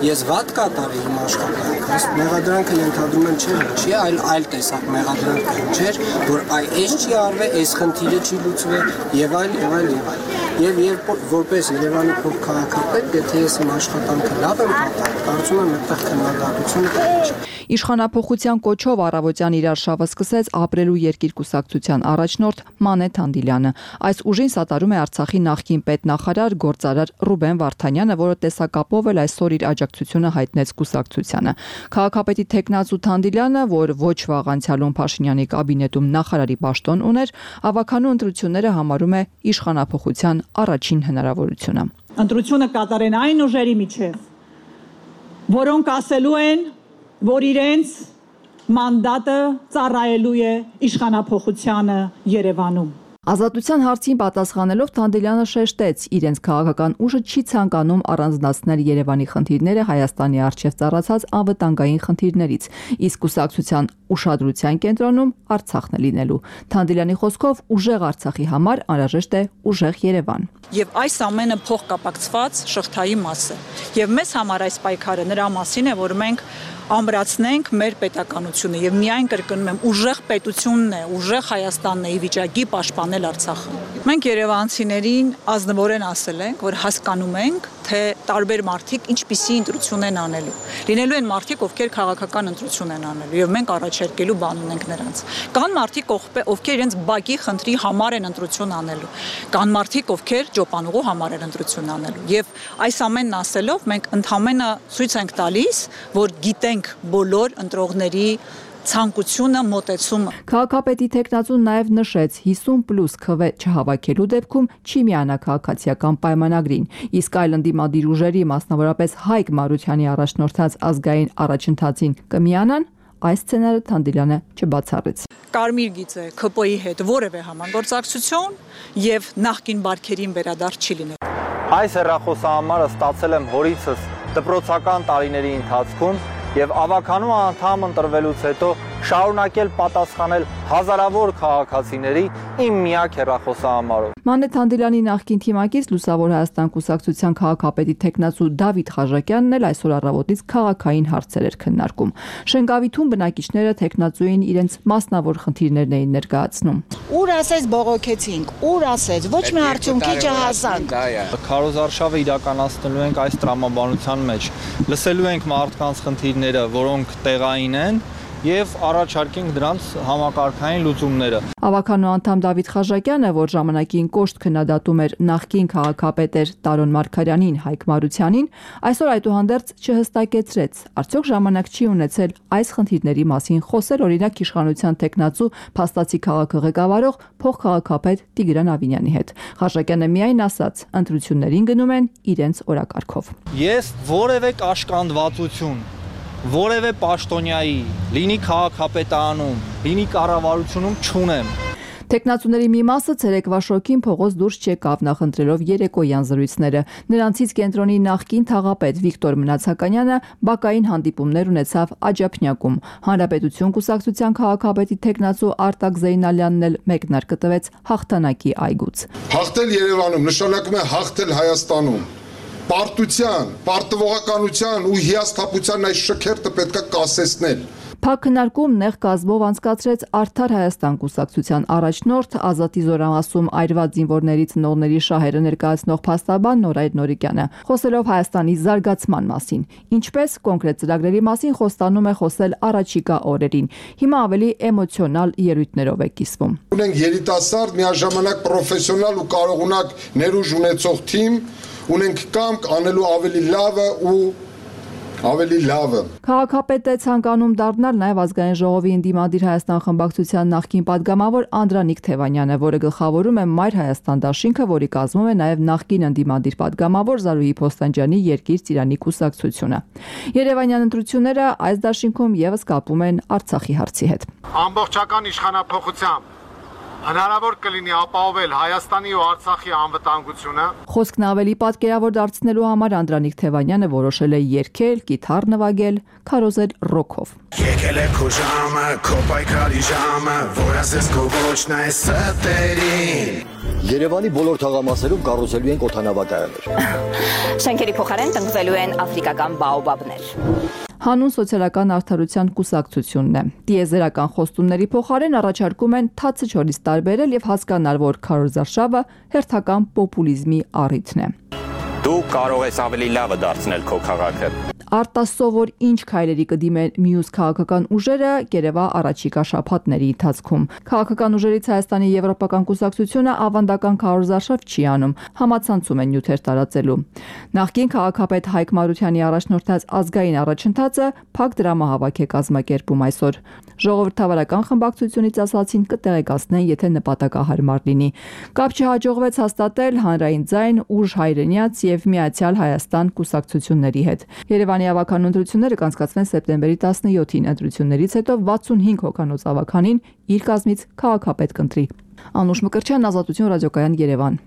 ես վատ կատարեի իմ աշխատանքս, մեղադրանքը ենթադրում եմ չէ, չի, այլ այլ տեսակ մեղադրանք չէր, որ այ այս չի արվել, այս խնդիրը չի լուծվել եւ այլ եւ այլ եւ այլ։ Եվ երբ որպես Երևանի փոխքաղաքապետ, եթե ես իմ աշխատանքը լավ եմ պատահել, կարծում եմ այդտեղ քննադատությունը կհնչի։ Իշխանափոխության կոչով առավոտյան իրար շավը սկսեց ապրելու երկիր կուսակցության առաջնորդ Մանե Թանդիլյանը։ Այս ուժին սատարում է Արցախի նախկին պետնախարար գործարար Ռուբեն Վարդանյանը, որը տեսակապով էլ այսօր իր աջակցությունը հայտնեց կուսակցությանը։ Քաղաքապետի թեկնածու Թանդիլյանը, որ ոչ վաղ անցյալում Փաշինյանի կաբինետում նախարարի պաշտոն ուներ, ավականու ընտրությունները համարում է իշխանափոխության առաջին հնարավորությունը։ Ընտրությունը կատարեն այն ուժերի միջև, որոնք ասելու են, որ իրենց մանդատը ծառայելու է իշխանափոխությանը Երևանում։ Ազատության հարցին պատասխանելով Թանդիլյանը շեշտեց, իրենց քաղաքական ուժը չի ցանկանում առանձնացնել Երևանի խնդիրները Հայաստանի առջև ծառացած անվտանգային խնդիրներից, իսկ կուսակցության ուշադրության կենտրոնում Արցախն է լինելու։ Թանդիլյանի խոսքով ուժեղ Արցախի համար անհրաժեշտ է ուժեղ Երևան։ Եվ այս ամենը փոխկապակցված շղթայի մաս է։ Եվ մեզ համար այս պայքարը նրա մասին է, որ մենք ամրացնենք մեր պետականությունը եւ միայն կրկնում եմ ուժեղ պետությունն է, ուժեղ Հայաստանն է ի վիճակի պաշտպանել Արցախը։ Մենք երևանցիներին ազնվորեն ասել ենք, որ հասկանում ենք, թե տարբեր մարդիկ ինչպիսի ընտրություն են անելու։ Լինելու են մարդիկ, ովքեր քաղաքական ընտրություն են անելու եւ մենք առաջարկելու բան ունենք նրանց։ Կան մարդիկ, ովքեր իրենց բակի խնդրի համար են ընտրություն անելու։ Կան մարդիկ, ովքեր ճոպանուղու համար են ընտրություն անելու։ Եվ այս ամենն ասելով մենք ընդհանրապես ցույց ենք տալիս, որ գիտենք բոլոր ընտրողների ցանկությունը, մոտեցումը։ Քաղաքապետի թեկնածուն նաև նշեց հիսուն պլյուս քվե չհավաքելու դեպքում չի միանա քաղաքացիական պայմանագրին, իսկ այլ ընդդիմադիր ուժերի, մասնավորապես Հայկ Մարությանի առաջնորդած ազգային առաջընթացին կմիանան, այս սցենարը Թանդիլյանը չբացառեց։ Կարմիր գիծը K P I-ի հետ որևէ համագործակցություն եւ նախկին բարքերին վերադարձ չի լինել։ Այս հեռախոսահամարը ստացել եմ հորիցս դպրոցական տարիների ընթացքում եւ ավականու անդամ ընտրվելուց հետո շարունակել պատասխանել հազարավոր քաղաքացիների իմ միակ հեռախոսահամարով։ Մանե Թանդիլյանի նախկին թիմակից Լուսավոր Հայաստան կուսակցության քաղաքապետի թեկնածու Դավիթ Խաժակյանն էլ այսօր առավոտից քաղաքային հարցեր էր քննարկում։ Շենգավիթում բնակիչները թեկնածուին իրենց մասնավոր խնդիրներն էին ներկայացնում։ Ուր ասես բողոքեցինք, ուր ասես, ոչ մի արդյունքի չհասանք։ Քարոզարշավը իրականացնելու ենք այս տրամաբանության մեջ։ Լսելու ենք մարդկանց խնդիրները, որոնք տեղային են, եւ առաջարկենք դրանց համակարգային լուծումները։ Ավականու անդամ Դավիթ Խաժակյանը, որ ժամանակին կոշտ քննադատում էր նախկին քաղաքապետեր Տարոն Մարգարյանին, Հայկ Մարությանին, այսօր այդուհանդերձ չհստակեցրեց, արդյոք ժամանակ չի ունեցել այս խնդիրների մասին խոսել օրինակ իշխանության տեխնացու փաստացի քաղաքը ղեկավարող փոխքաղաքապետ Տիգրան Ավինյանի հետ։ Խաժակյանը միայն ասաց, ընտրություններին գնում են իրենց օրակարգով։ Ես որևէ կաշկանդվածություն որևէ պաշտոնյայի, լինի քաղաքապետարանում, լինի կառավարությունում չունեմ։ Տեխնացուների մի մասը ցերեկվա շոկին փողոց դուրս չեկավ նախընտրելով երեկոյան զրույցները։ Նրանցից կենտրոնի նախկին թաղապետ Վիկտոր Մնացականյանը բակային հանդիպումներ ունեցավ Աջափնյակում։ Հանրապետություն կուսակցության քաղաքապետի տեխնացու Արտակ Զեյնալյանն էլ մեկնարկը տվեց հաղթանակի այգուց։ Հաղթել Երևանում նշանակում է հաղթել Հայաստանում։ Պարտության, պարտվողականության ու հիասթափության այս շքերթը պետք է կասեցնել։ Փակ քննարկում նեղ կազմով անցկացրեց Արդար Հայաստան կուսակցության առաջնորդ Ազատի զորամասում այրված զինվորների ծնողների շահերը ներկայացնող փաստաբան Նորայր Նորիկյանը, խոսելով Հայաստանի զարգացման մասին, ինչպես կոնկրետ ծրագրերի մասին խոստանում է խոսել առաջիկա օրերին։ Հիմա ավելի էմոցիոնալ ելույթներով է կիսվում։ Ունենք երիտասարդ, միաժամանակ պրոֆեսիոնալ ու կարողունակ ներուժ ունեցող թիմ, ունենք կամք անելու ավելի լավը ու ավելի լավը։ Քաղաքապետը ցանկանում դառնալ նաև ազգային ժողովի ընդդիմադիր Հայաստան խմբակցության նախկին падգամավոր Անդրանիկ Թևանյանը, որը գլխավորում է Մայր Հայաստան դաշինքը, որի կազմում է նաև նախկին ընդդիմադիր падգամավոր Զարուհի Փոստանջյանի Երկիր Ծիրանի կուսակցությունը։ Երևանյան ընտրությունները այս դաշինքում եւս կապում են Արցախի հարցի հետ։ Ամբողջական իշխանափոխությամբ հնարավոր կլինի ապահովել Հայաստանի ու Արցախի անվտանգությունը։ Խոսքն ավելի պատկերավոր դարձնելու համար Անդրանիկ Թևանյանը որոշել է երգել, կիթառ նվագել, քարոզել ռոքով։ Եկել է քո ժամը, քո պայքարի ժամը, որ ասես քո ոչն է ստերին։ Երևանի բոլոր թաղամասերում կառուցելու են օդանավակայաններ։ Շենքերի փոխարեն տնկվելու են աֆրիկական բաոբաբներ։ Հանուն սոցիալական արդարության կուսակցությունն է։ Տիեզերական խոստումների փոխարեն առաջարկում են թացը չորից տարբերել եւ հասկանալ, որ քարոզարշավը հերթական պոպուլիզմի առիթն է։ Դու կարող ես ավելի լավը դարձնել քո քաղաքը։ Արտասովոր ինչ քայլերի կդիմեն մյուս քաղաքական ուժերը Կերևա առաջիկա շաբաթների ընթացքում։ Քաղաքական ուժերից Հայաստանի Եվրոպական կուսակցությունը ավանդական քարոզարշավ չի անում, համացանցում են նյութեր տարածելու։ Նախկին քաղաքապետ Հայկ Մարությանի առաջնորդած ազգային առաջընթացը փակ դրամահավաք է կազմակերպում այսօր։ Ժողովրդավարական խմբակցությունից ասացին կտեղեկացնեն, եթե նպատակահարմար լինի։ Կապ չհաջողվեց հաստատել հանրային ձայն, ուժ հայրենյաց եւ Միացյալ Հայաստան կուսակցությունների հետ։ Երևանի ավականու ընտրությունները կանցկացվեն սեպտեմբերի տասնյոթին, ընտրություններից հետո վաթսունհինգ հոգանոց ավականին իր կազմից քաղաքապետ կընտրի։ Անուշ Մկրտչյան, Ազատություն ռադիոկայան, Երևան։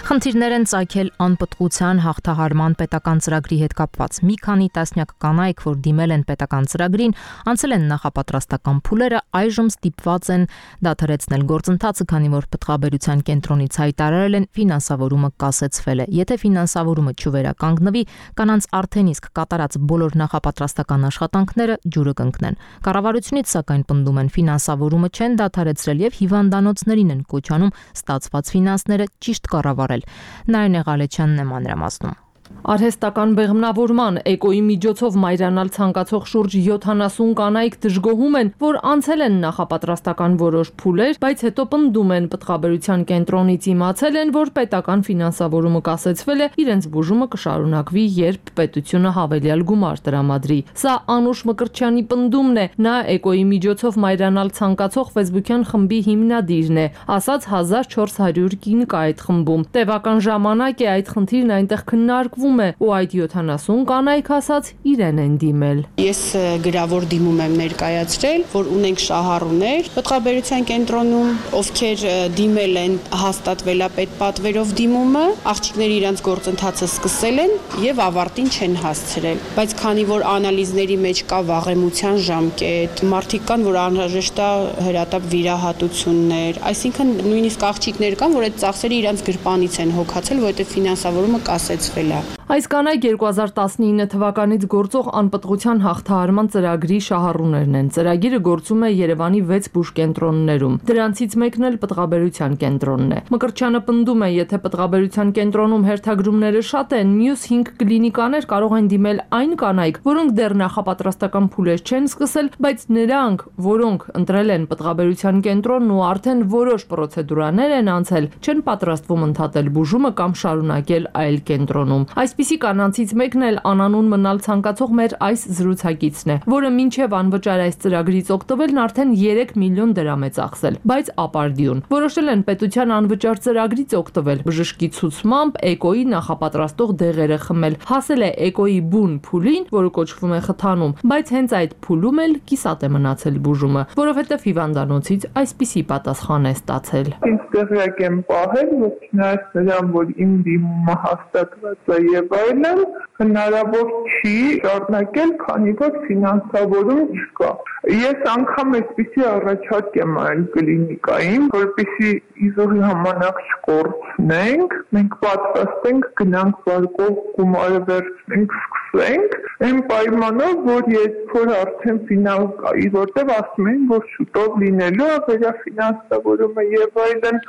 Խնդիրներ են ծագել անպտղության հաղթահարման պետական ծրագրի հետ կապված։ Մի քանի տասնյակ կանայք, որ դիմել են պետական ծրագրին, անցել են նախապատրաստական փուլերը, այժմ ստիպված են դադարեցնել գործընթացը, քանի որ պտղաբերության կենտրոնից հայտարարել են ֆինանսավորումը կասեցվել է։ Եթե ֆինանսավորումը չվերականգնվի, կանանց արդեն իսկ կատարած բոլոր նախապատրաստական աշխատանքները ջուրը կընկնեն։ Կառավարությունից սակայն պնդում են ֆինանսավորումը չեն դադարեցրել եւ հիվանդանոցներին են կոչ անում ստացված ֆինանսները ճիշտ կառավարել։ Նարինե Ղալեչյանն է մանրամասնում։ Արհեստական բեղմնավորման էկոյի միջոցով մայրանալ ցանկացող շուրջ յոթանասուն կանայք դժգոհում են, որ անցել են նախապատրաստական որոշ փուլեր, բայց հետո պնդում են պտղաբերության կենտրոնից իմացել են, որ պետական ֆինանսավորումը կասեցվել է, իրենց բուժումը կշարունակվի, երբ պետությունը հավելյալ գումար տրամադրի։ Սա Անուշ Մկրտչյանի պնդումն է, նա էկոյի միջոցով մայրանալ ցանկացող ֆեյսբուքյան խմբի հիմնադիրն է, ասաց հազար չորս հարյուր կին կա այդ խմբում։ Տևական ժամանակ է այդ խնդիրն այնտեղ քննարկվում է ու այդ յոթանասուն կանայք ասաց իրեն են դիմել։ Ես գրավոր դիմում եմ ներկայացրել, որ ունենք շահառուներ պտղաբերության կենտրոնում, ովքեր դիմել են հաստատվելապետ պատվերով դիմումը, աղջիկները իրենց գործընթացը սկսել են եւ ավարտին չեն հասցրել։ Բայց քանի որ անալիզների մեջ կա վաղեմության ժամկետ, մարդիկ կան, որ անհրաժեշտ է հրատապ վիրահատություններ, այսինքն նույնիսկ աղջիկներ կան, որ այդ ծախսերը իրենց գրպանից են հոգացել, որովհետեւ ֆինանսավորումը կասեցվել է։ Այս կանայք երկու հազար տասնինը թվականից գործող անպտղության հաղթահարման ծրագրի շահառուներն են։ Ծրագիրը գործում է Երևանի վեց բուժկենտրոններում։ Դրանցից մեկն էլ պտղաբերության կենտրոնն է։ Մկրտչյանը պնդում է, եթե պտղաբերության կենտրոնում հերթագրումները շատ են, մյուս հինգ կլինիկաներ կարող են դիմել այն կանայք, որոնք դեռ նախապատրաստական փուլեր չեն սկսել, բայց նրանք, որոնք ընտրել են պտղաբերության կենտրոնն ու արդեն որոշ պրոցեդուրաներ են անցել, չեն պատրաստվում ընդհատել բուժումը կամ շարունակել այլ կենտրոնում։ Այսպիսի կանանցից մեկն էլ անանուն մնալ ցանկացող մեր այս զրուցակիցն է, որը մինչև անվճար այս ծրագրից օգտվելն արդեն երեք միլիոն դրամ է ծախսել, բայց ապարդյուն։ Որոշել են պետության անվճար ծրագրից օգտվել, բժշկի ցուցմամբ էկոյի նախապատրաստող դեղերը խմել։ Հասել է էկոյի բուն փուլին, որը կոչվում է խթանում, բայց հենց այդ փուլում էլ կիսատ է մնացել բուժումը, որովհետև հիվանդանոցից այսպիսի պատասխան է ստացել։ Ինձ տեղյակ եմ պահել, որ չնայած նրան, որ իմ դիմումը հաստատված է եւ այլն, հնարավոր չի շարունակել, քանի որ ֆինանսավորում չկա։ Ես անգամ այսպիսի առաջարկ եմ այլ կլինիկային, որպեսզի իզուր ժամանակ չկորցնենք, մենք պատրաստ ենք գնանք վարկով գումարը վերցնենք, սկսենք, այն պայմանով, որ երբ որ արդեն ֆինալ կայի, որտեղ ասում են, որ շուտով լինելու է վերաֆինանսավորումը եւ այլն,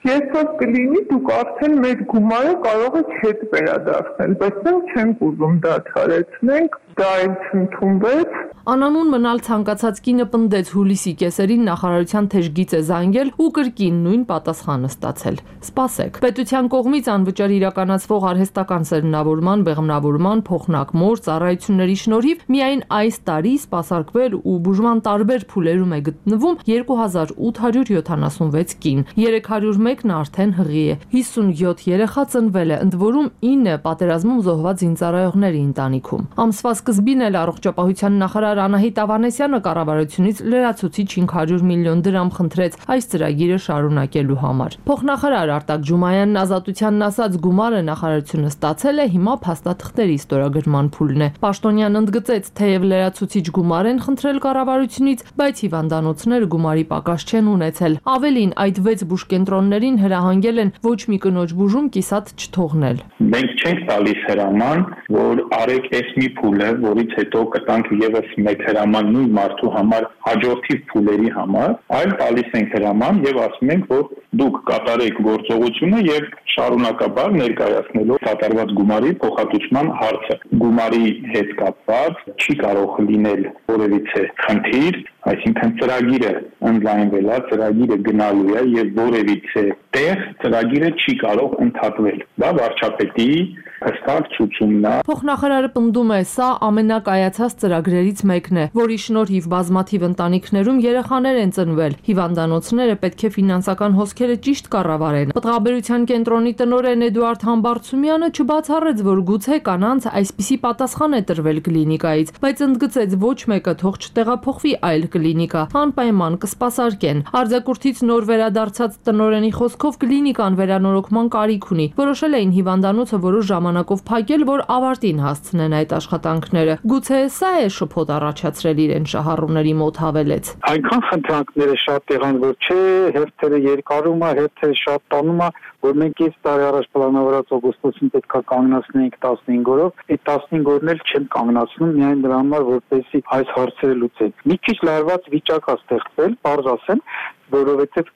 երբ որ կլինի, դուք արդեն մեր գումարը կարող եք հետ վերադարձնել, բայց մենք չենք ուզում դադարեցնենք, դա էլ չընդունվեց։ Անանուն մնալ ցանկացած կինը պնդեց հուլիսի կեսերին նախարարության թեժգից է զանգել ու կրկին նույն պատասխանը ստացել։ Սպասեք։ Պետության կողմից անվճար իրականացվող արհեստական սերմնավորման, բեղմնավորման, փոխնակմոր ծառայությունների շնորհիվ միայն այս տարի սպասարկվել ու բուժման տարբեր փուլերում է գտնվում երկու հազար ութ հարյուր յոթանասունվեց կին, երեք հարյուր մեկն արդեն հղի է, հիսունյոթ երեխա ծնվել է, ընդ որում ինը պատերազմում զոհված զինծառայողների ընտանիքում։ Ամսվա սկզբին էլ առողջապահության նախարար նախարար Անահիտ Ավանեսյանը կառավարությունից լրացուցիչ հինգ հարյուր միլիոն դրամ խնդրեց այս ծրագիրը շարունակելու համար։ Փոխնախարար Արտակ Ջումայանն Ազատությանն ասաց, գումարը նախարարությունը ստացել է, հիմա փաստաթղթերի ստորագրման փուլն է։ Պաշտոնյանն ընդգծեց, թեև լրացուցիչ գումար են խնդրել կառավարությունից, բայց հիվանդանոցները գումարի պակաս չեն ունեցել։ Ավելին, այդ վեց բուժկենտրոններին հրահանգել են ոչ մի կնոջ բուժում կիսատ չթողնել։ Մենք չենք տալիս հրաման, որ արեք այս մի փուլը, որից հետո կտանք եւս մեկ հրաման նույն մարդու համար հաջորդիվ փուլերի համար, այլ տալիս ենք հրաման եւ ասում ենք, որ դուք կատարեք գործողությունը եւ շարունակաբար ներկայացնելով կատարված գումարի փոխհատուցման հարցը։ Գումարի հետ կապված չի կարող լինել որևիցե խնդիր, այսինքն ծրագիրը ընդլայնվել է, ծրագիրը գնալու է եւ որևիցե տեղ ծրագիրը չի կարող ընդհատվել։ Դա վարչապետի հստակ ցուցումն է։ Փոխնախարարը պնդում է, սա ամենակայացած ծրագրերից մեկն է, որի շնորհիվ բազմաթիվ ընտանիքներում երեխաներ են ծնվել։ Հիվանդանոցները պետք է ֆինանսական հոսքերը ճիշտ կառավարեն։ Պտղաբերության կենտրոնի տնօրեն Էդուարդ Համբարձումյանը չբացառեց, որ գուցե կանանց այսպիսի պատասխան է տրվել կլինիկայից, բայց ընդգծեց, ոչ մեկը թող չտեղափոխվի այլ կլինիկա, անպայման կսպասարկեն։ Արձակուրդից նոր վերադարձած տնօրենի խոսքով կլինիկան վերանորոգման կարիք ունի։ Որոշել էին հիվանդանոցը որոշ ժամանակով փակել, որ ավարտին հասցնեն այդ աշխատանքները։ Գուցե սա է շփոթ առաջացրել իրեն շահառուների մոտ, հավելեց։ Այնքան խնդրանքները շատ եղան, որ չէ, հերթերը երկարում է, հերթերը շատ տանում է, որ մենք այս տարի առաջ պլանավորած օգոստոսին պետքա կանգնացնենք տասնհինգ օրով, այդ տասնհինգ օրն էլ չեն կանգնացնում միայն դրա համար, որպեսզի այս հարցերը լուծեն։ Մի քիչ լարված վիճակ է ստեղծվել, բարձ ասեմ, որովհետև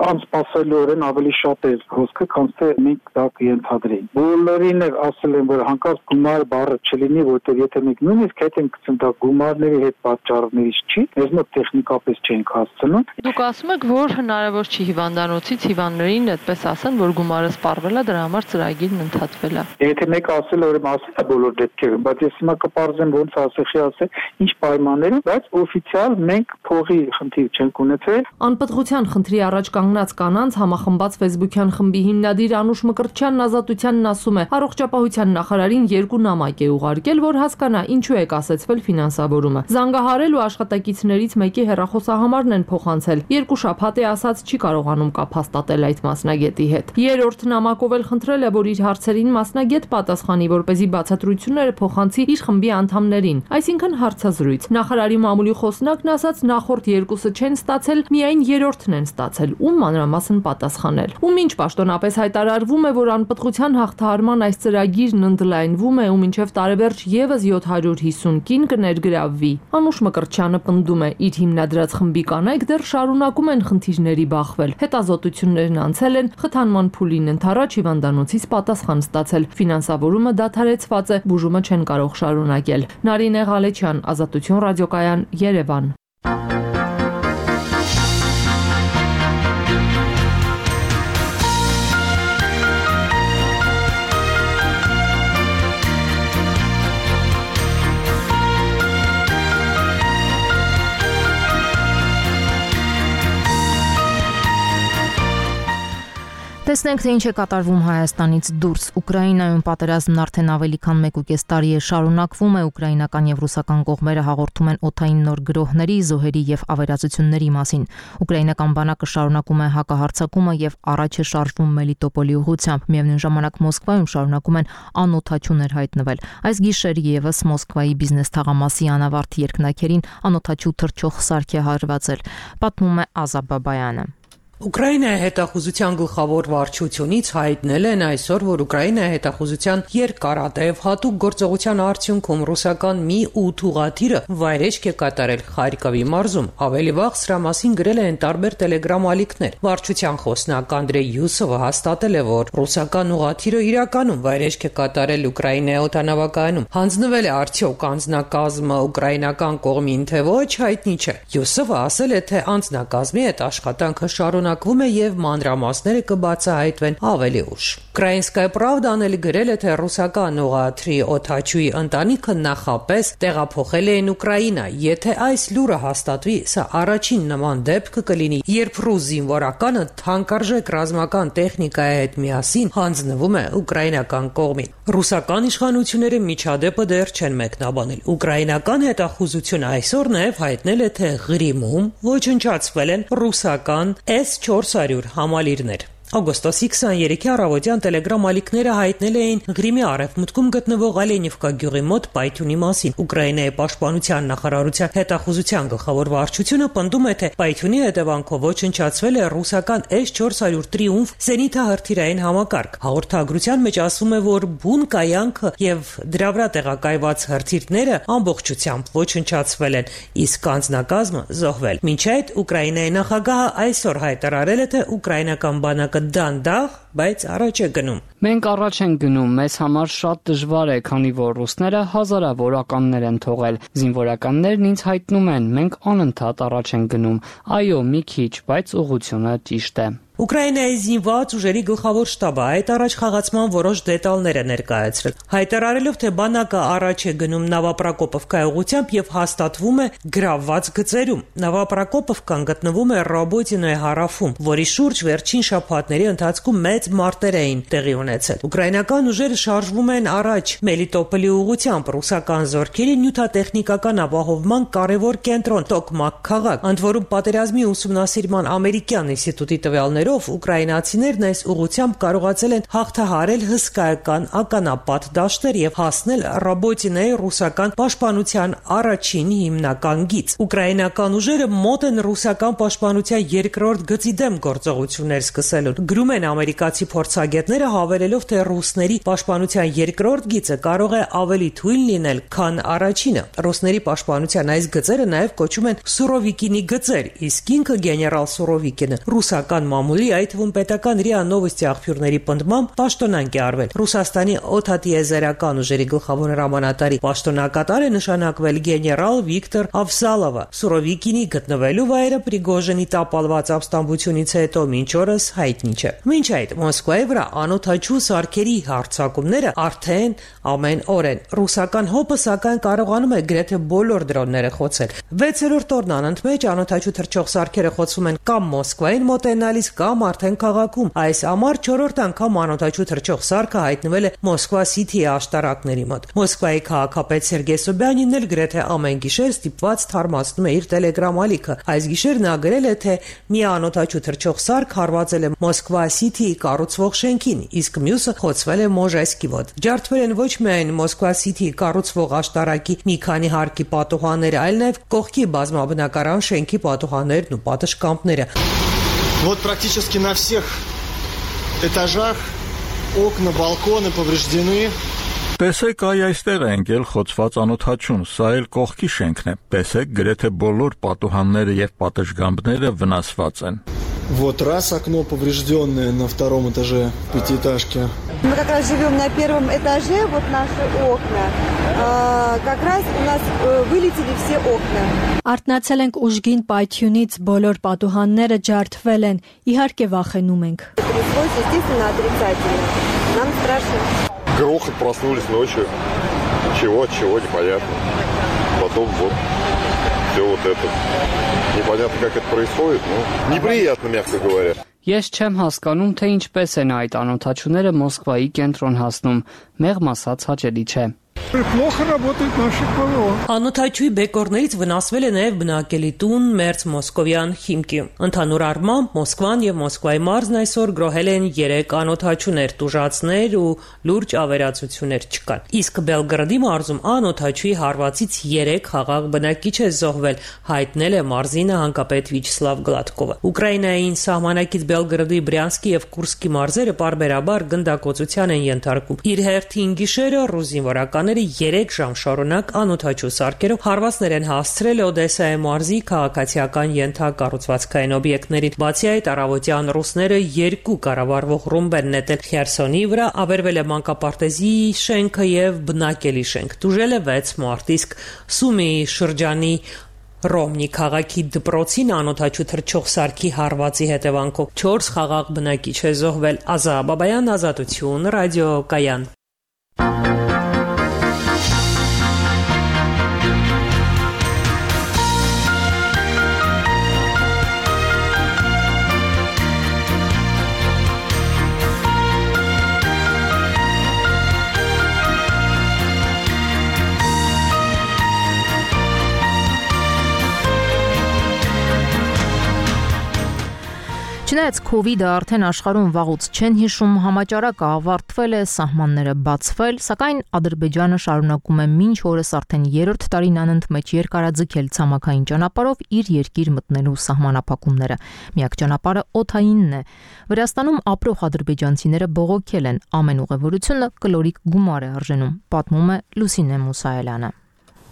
անսպասելիորեն ավելի շատ է հոսքը, քան թե մենք դա կընդհանրեինք։ Բոլորին էլ ասել են, որ հանկարծ գումար բառը չլինի, որտեղ եթե մենք նույնիսկ հետ ենք գցում դա գումարների հետ պատճառներից չի, մեզ մոտ տեխնիկապես չենք հասցնում։ Դուք ասում եք, որ հնարավոր չի հիվանդանոցից հիվանդներին այդպես ասեն, որ գումարը սպառվել է, դրա համար ծրագիրն ընդհատվել է։ Եթե մեկը ասել է, որ ասել է բոլոր դեպքերում, բայց ես հիմա կպարզեմ ոնց ասեցի, ասել, ինչ պայմաններում, բայց օֆիցիալ մենք փողի խնդիր չենք ունեցել։ Անպտղության խնդրի առաջ կանգնած կանանց համախմբած Facebook-յան խմբի հիմնադիր Անուշ Մկրտչյանն Ազատությանն ասում է, առողջապահության նախարարին երկու նամակ է ուղարկել, որ հասկանա ինչու է կասեցվել ֆինանսավորումը։ Զանգահարել ու աշխատակիցներից մեկի հեռախոսահամարն են փոխանցել։ Երկու շաբաթ է ասած չի կարողանում կապ հաստատել այդ մասնագետի հետ։ Երրորդ նամակով էլ խնդրել է, որ իր հարցերին մասնագետ պատասխանի, որպեսզի բացատրությունները փոխանցի իր խմբի անդամներին, այսինքն հարցազրույց։ Նախարարի մամուլի խոսնակն ասաց, նախորդ երկուսը չեն ստացել, միայն երրորդն են ստացել, ում մանրամասն պատասխանել։ Ում ինչ պաշտոնապես հայտարարվում է, որ անպտղության հաղթահարման այս ծրագիրն ընդլայնվում է ու մինչև տարեվերջ եւս յոթ հարյուր հիսուն կին կներգրավվի։ Անուշ Մկրտչյանը պնդում է, իր հիմնադրած խմբի կանայք դեռ շարունակում են խնդիրների բախվել։ Հետազոտություններն անցել են, խթանման փուլին ընթരാճ հիվանդանոցից պատասխան ստացել։ Ֆինանսավորումը դադարեցված է, բուժումը չեն կարող շարունակել։ Նարինե Ղալեչյան, Ազատություն ռադիոկայան, Երևան։ Տեսնենք, թե ինչ է կատարվում Հայաստանից դուրս։ Ուկրաինայում պատերազմն արդեն ավելի քան մեկ ու կես տարի է շարունակվում է, ուկրաինական եւ ռուսական կողմերը հաղորդում են օդային նոր գրոհների, զոհերի եւ ավերածությունների մասին։ Ուկրաինական բանակը շարունակում է հակահարձակումը եւ առաջ է շարժվում Մելիտոպոլի ուղղությամբ։ Միևնույն ժամանակ Մոսկվայում շարունակում են անօդաչուներ հայտնվել։ Այս գիշեր եւս Մոսկվայի բիզնես թաղամասի անավարտ երկնաքերին անօդաչու թռչող սարք է հարվածել, պատմում է Ազա Բաբայանը։ Ուկրաինայի հետախուզության գլխավոր վարչությունից հայտնել են այսօր, որ Ուկրաինայի հետախուզության երկարատև հատուկ գործողության արդյունքում ռուսական մի ութ ուղղաթիռը վայրեջք է կատարել Խարկովի մարզում։ Ավելի վաղ սրա մասին գրել են տարբեր տելեգրամ ալիքներ։ Վարչության խոսնակ Անդրեյ Յուսովը հաստատել է, որ ռուսական ուղղաթիռը իրականում վայրեջք է կատարել Ուկրաինայի օդանավակայանում։ Հանձնվել է արդյոք անձնակազմը ուկրաինական կողմին, թե ոչ, հայտնի չէ։ Յուսովը ասել է, թե անձնակազմի հետ աշխատանքը շարունակ շարունակվում է եւ մանրամասները կբացահայտվեն ավելի ուշ։ Ukrainskaya Pravda-ն էլ գրել է, թե ռուսական ուղղաթրի օդաչուի ընտանիքը նախապես տեղափոխել էին Ուկրաինա։ Եթե այս լուրը հաստատվի, սա առաջին նման դեպքը կլինի, երբ ռուս զինվորականը թանկարժեք ռազմական տեխնիկայի հետ միասին հանձնվում է ուկրաինական կողմին։ Ռուսական իշխանությունները միջադեպը դեռ չեն մեկնաբանել։ Ուկրաինական հետախուզությունը այսօր նաև հայտնել է, թե Ղրիմում ոչնչացվել են ռուսական S four hundred համալիրներ։ Օգոստոսի քսաներեքի առավոտյան Telegram ալիքները հայտնել էին Ղրիմի արևմուտքում գտնվող Ալենիվկա գյուղի մոտ պայթյունի մասին։ Ուկրաինայի պաշտպանության նախարարության հետախուզության գլխավոր վարչությունը պնդում է, թե պայթյունի հետևանքով ոչնչացվել է ռուսական S four hundred Triumph զենիթահրթիռային համակարգ։ Հաղորդագրության մեջ ասվում է, որ բուն կայանքը եւ դրա վրա տեղակայված հրթիռները ամբողջությամբ ոչնչացվել են, իսկ անձնակազմը զոհվել։ Մինչ այդ Ուկրաինայի նախագահը այսօր հայտարարել է, թե ուկրաինական բանակը դանդաղ, բայց առաջ է գնում։ Մենք առաջ ենք գնում, մեզ համար շատ դժվար է, քանի որ ռուսները հազարավոր ականներ են թողել։ Զինվորականներն ինձ հայտնում են, մենք անընդհատ առաջ ենք գնում։ Այո, մի քիչ, բայց ուղղությունը ճիշտ է։ Ուկրաինայի զինված ուժերի գլխավոր շտաբը այդ առաջ խաղացման որոշ դետալներ է ներկայացրել, հայտարարելով, թե բանակը առաջ է գնում Նավապրակոպովկայի ուղղությամբ եւ հաստատվում է գրավված գծերում։ Նավապրակոպովկան գտնվում է Ռոբոտինոյի հարավում, որի շուրջ վերջին շաբաթների ընթացքում մեծ մարտեր էին տեղի ունեցել։ Ուկրաինական ուժերը շարժվում են առաջ Մելիտոպոլի ուղղությամբ, ռուսական զորքերի նյութատեխնիկական ապահովման կարևոր կենտրոն Տոկմակ քաղաք, ընդ որում պատերազմի ուսումնասիրման ամերիկյան ինստիտուտի տվյալներ ուկրաինացիներն այս ուղղությամբ կարողացել են հաղթահարել հսկայական ականապատ դաշտեր եւ հասնել Ռոբոտինոյի ռուսական պաշտպանության առաջին հիմնական գիծ։ Ուկրաինական ուժերը մոտ են ռուսական պաշտպանության երկրորդ գծի դեմ գործողություններ սկսելուն։ Գրում են ամերիկացի փորձագետները, հավելելով, թե ռուսների պաշտպանության երկրորդ գիծը կարող է ավելի թույլ լինել, քան առաջինը։ Ռուսների պաշտպանության այս գծերը նաեւ կոչում են Սուրովիկինի գծեր, իսկ ինքը գեներալ Սուրովիկինը ռուսական մամուլի, այդ թվում պետական ՌԻԱ Նովոստի աղբյուրների պնդմամբ պաշտոնանկ է արվել։ Ռուսաստանի օդատիեզերական ուժերի գլխավոր հրամանատարի պաշտոնակատար է նշանակվել գեներալ Վիկտոր Ավսալովը։ Սուրովիկինի գտնվելու վայրը Պրիգոժինի տապալված ապստամբությունից հետո մինչ օրս հայտնի չէ։ Մինչ այդ Մոսկվայի վրա անօդաչու սարքերի հարձակումները արդեն ամեն օր են։ Ռուսական հոպը սակայն կարողանում է գրեթե բոլոր դրոնները խոցել։ վեցերորդ օրն անընդմեջ անօդաչու թռչող սարքերը խոցվում են կամ Մոսկվային մոտենալիս, կամ արդեն քաղաքում։ Այս ամառ չորրորդ անգամ անօդաչու թռչող սարքը հայտնվել է Մոսկվա Սիթիի աշտարակների մոտ։ Մոսկվայի քաղաքապետ Սերգեյ Սոբյանինն էլ գրեթե ամեն գիշեր ստիպված թարմացնում է իր Telegram ալիքը։ Այս գիշեր նա գրել է, թե մի անօդաչու թռչող սարք հարվածել է Մոսկվա Սիթիի կառուցվող շենքին, իսկ մյուսը խոցվել է Մոժեսկի մոտ։ Ջարդվել են ոչ միայն Մոսկվա Սիթիի կառուցվող աշտարակի մի քանի հարկի պատուհանները, այլ նաև կողքի բազմաբնակարան շենքի պատուհաններն ու պատշգամբները։ Вот практически на всех этажах окна, балконы повреждены. Տեսեք, այ այստեղ է ընկել խոցված անօդաչուն, սա էլ կողքի շենքն է։ Տեսեք, գրեթե բոլոր պատուհանները եւ պատշգամբները վնասված են։ Вот раз окно поврежденное на втором этаже пятиэтажки. Мы как раз живем на первом этаже, вот наши окна. А, как раз у нас вылетели все окна. Արթնացել ենք ուժգին պայթյունից, բոլոր պատուհանները ջարդվել են, իհարկե վախենում ենք։ Тряслось, естественно, отрицательно. Нам страшно. Грохот, проснулись ночью. Чего, от чего, непонятно. Потом вот все вот это. Непонятно, как это происходит, но неприятно, мягко говоря. Ես չեմ հասկանում, թե ինչպես են այդ անօդաչուները Մոսկվայի կենտրոն հասնում, մեղմ ասած հաճելի չէ։ Плохо работает наше ПВО. Անօդաչուի բեկորներից վնասվել է նաև բնակելի տուն Մերց Մոսկովյան հիմքի։ Ընդհանուր առմամբ Մոսկվան եւ Մոսկվայի մարզն այսօր գրոհել են երեք անօդաչուներ, տուժածներ ու լուրջ ավերածություններ չկան։ Իսկ Բելգրադի մարզում անօդաչուի հարվածից երեք խաղաղ բնակիչ է զոհվել, հայտնել է մարզի նահանգապետ Վիչսլավ Գլադկովը։ Ուկրաինային սահմանակից Բելգրադի, Բրյանսկի եւ Կուրսկի մարզերը պարբերաբար գնդակոծության են ենթարկում։ Իր հերթին գիշերը ռուս զինվորականները երեք ժամ շարունակ անօդաչու սարքերով հարվածներ են հասցրել Օդեսայի մարզի քաղաքացիական ենթակառուցվածքային օբյեկտներին։ Բացի այդ, առավոտյան ռուսները երկու կառավարվող ռումբ են նետել Խերսոնի վրա, ավերվել է մանկապարտեզի շենքը եւ բնակելի շենք։ Տուժել է վեց մարդ, իսկ Սումիի շրջանի Ռոմնի քաղաքի դպրոցին անօթաչու թռչող սարքի հարվածի հետևանքով չորս խաղաղ բնակիչ է զոհվել։ Ազա Բաբայան, Ազատություն, ռադիո Կայան։ Չնայած քովիդը արդեն աշխարհում վաղուց չեն հիշում, համաճարակը ավարտվել է, սահմանները բացվել, սակայն Ադրբեջանը շարունակում է մինչ օրս արդեն երրորդ տարին անընդմեջ երկարաձգել ցամաքային ճանապարհով իր երկիր մտնելու սահմանափակումները։ Միակ ճանապարհը օդայինն է։ Վրաստանում ապրող ադրբեջանցիները բողոքել են, ամեն ուղևորությունը կլորիկ գումար է արժենում, պատմում է Լուսինե Մուսայելյանը։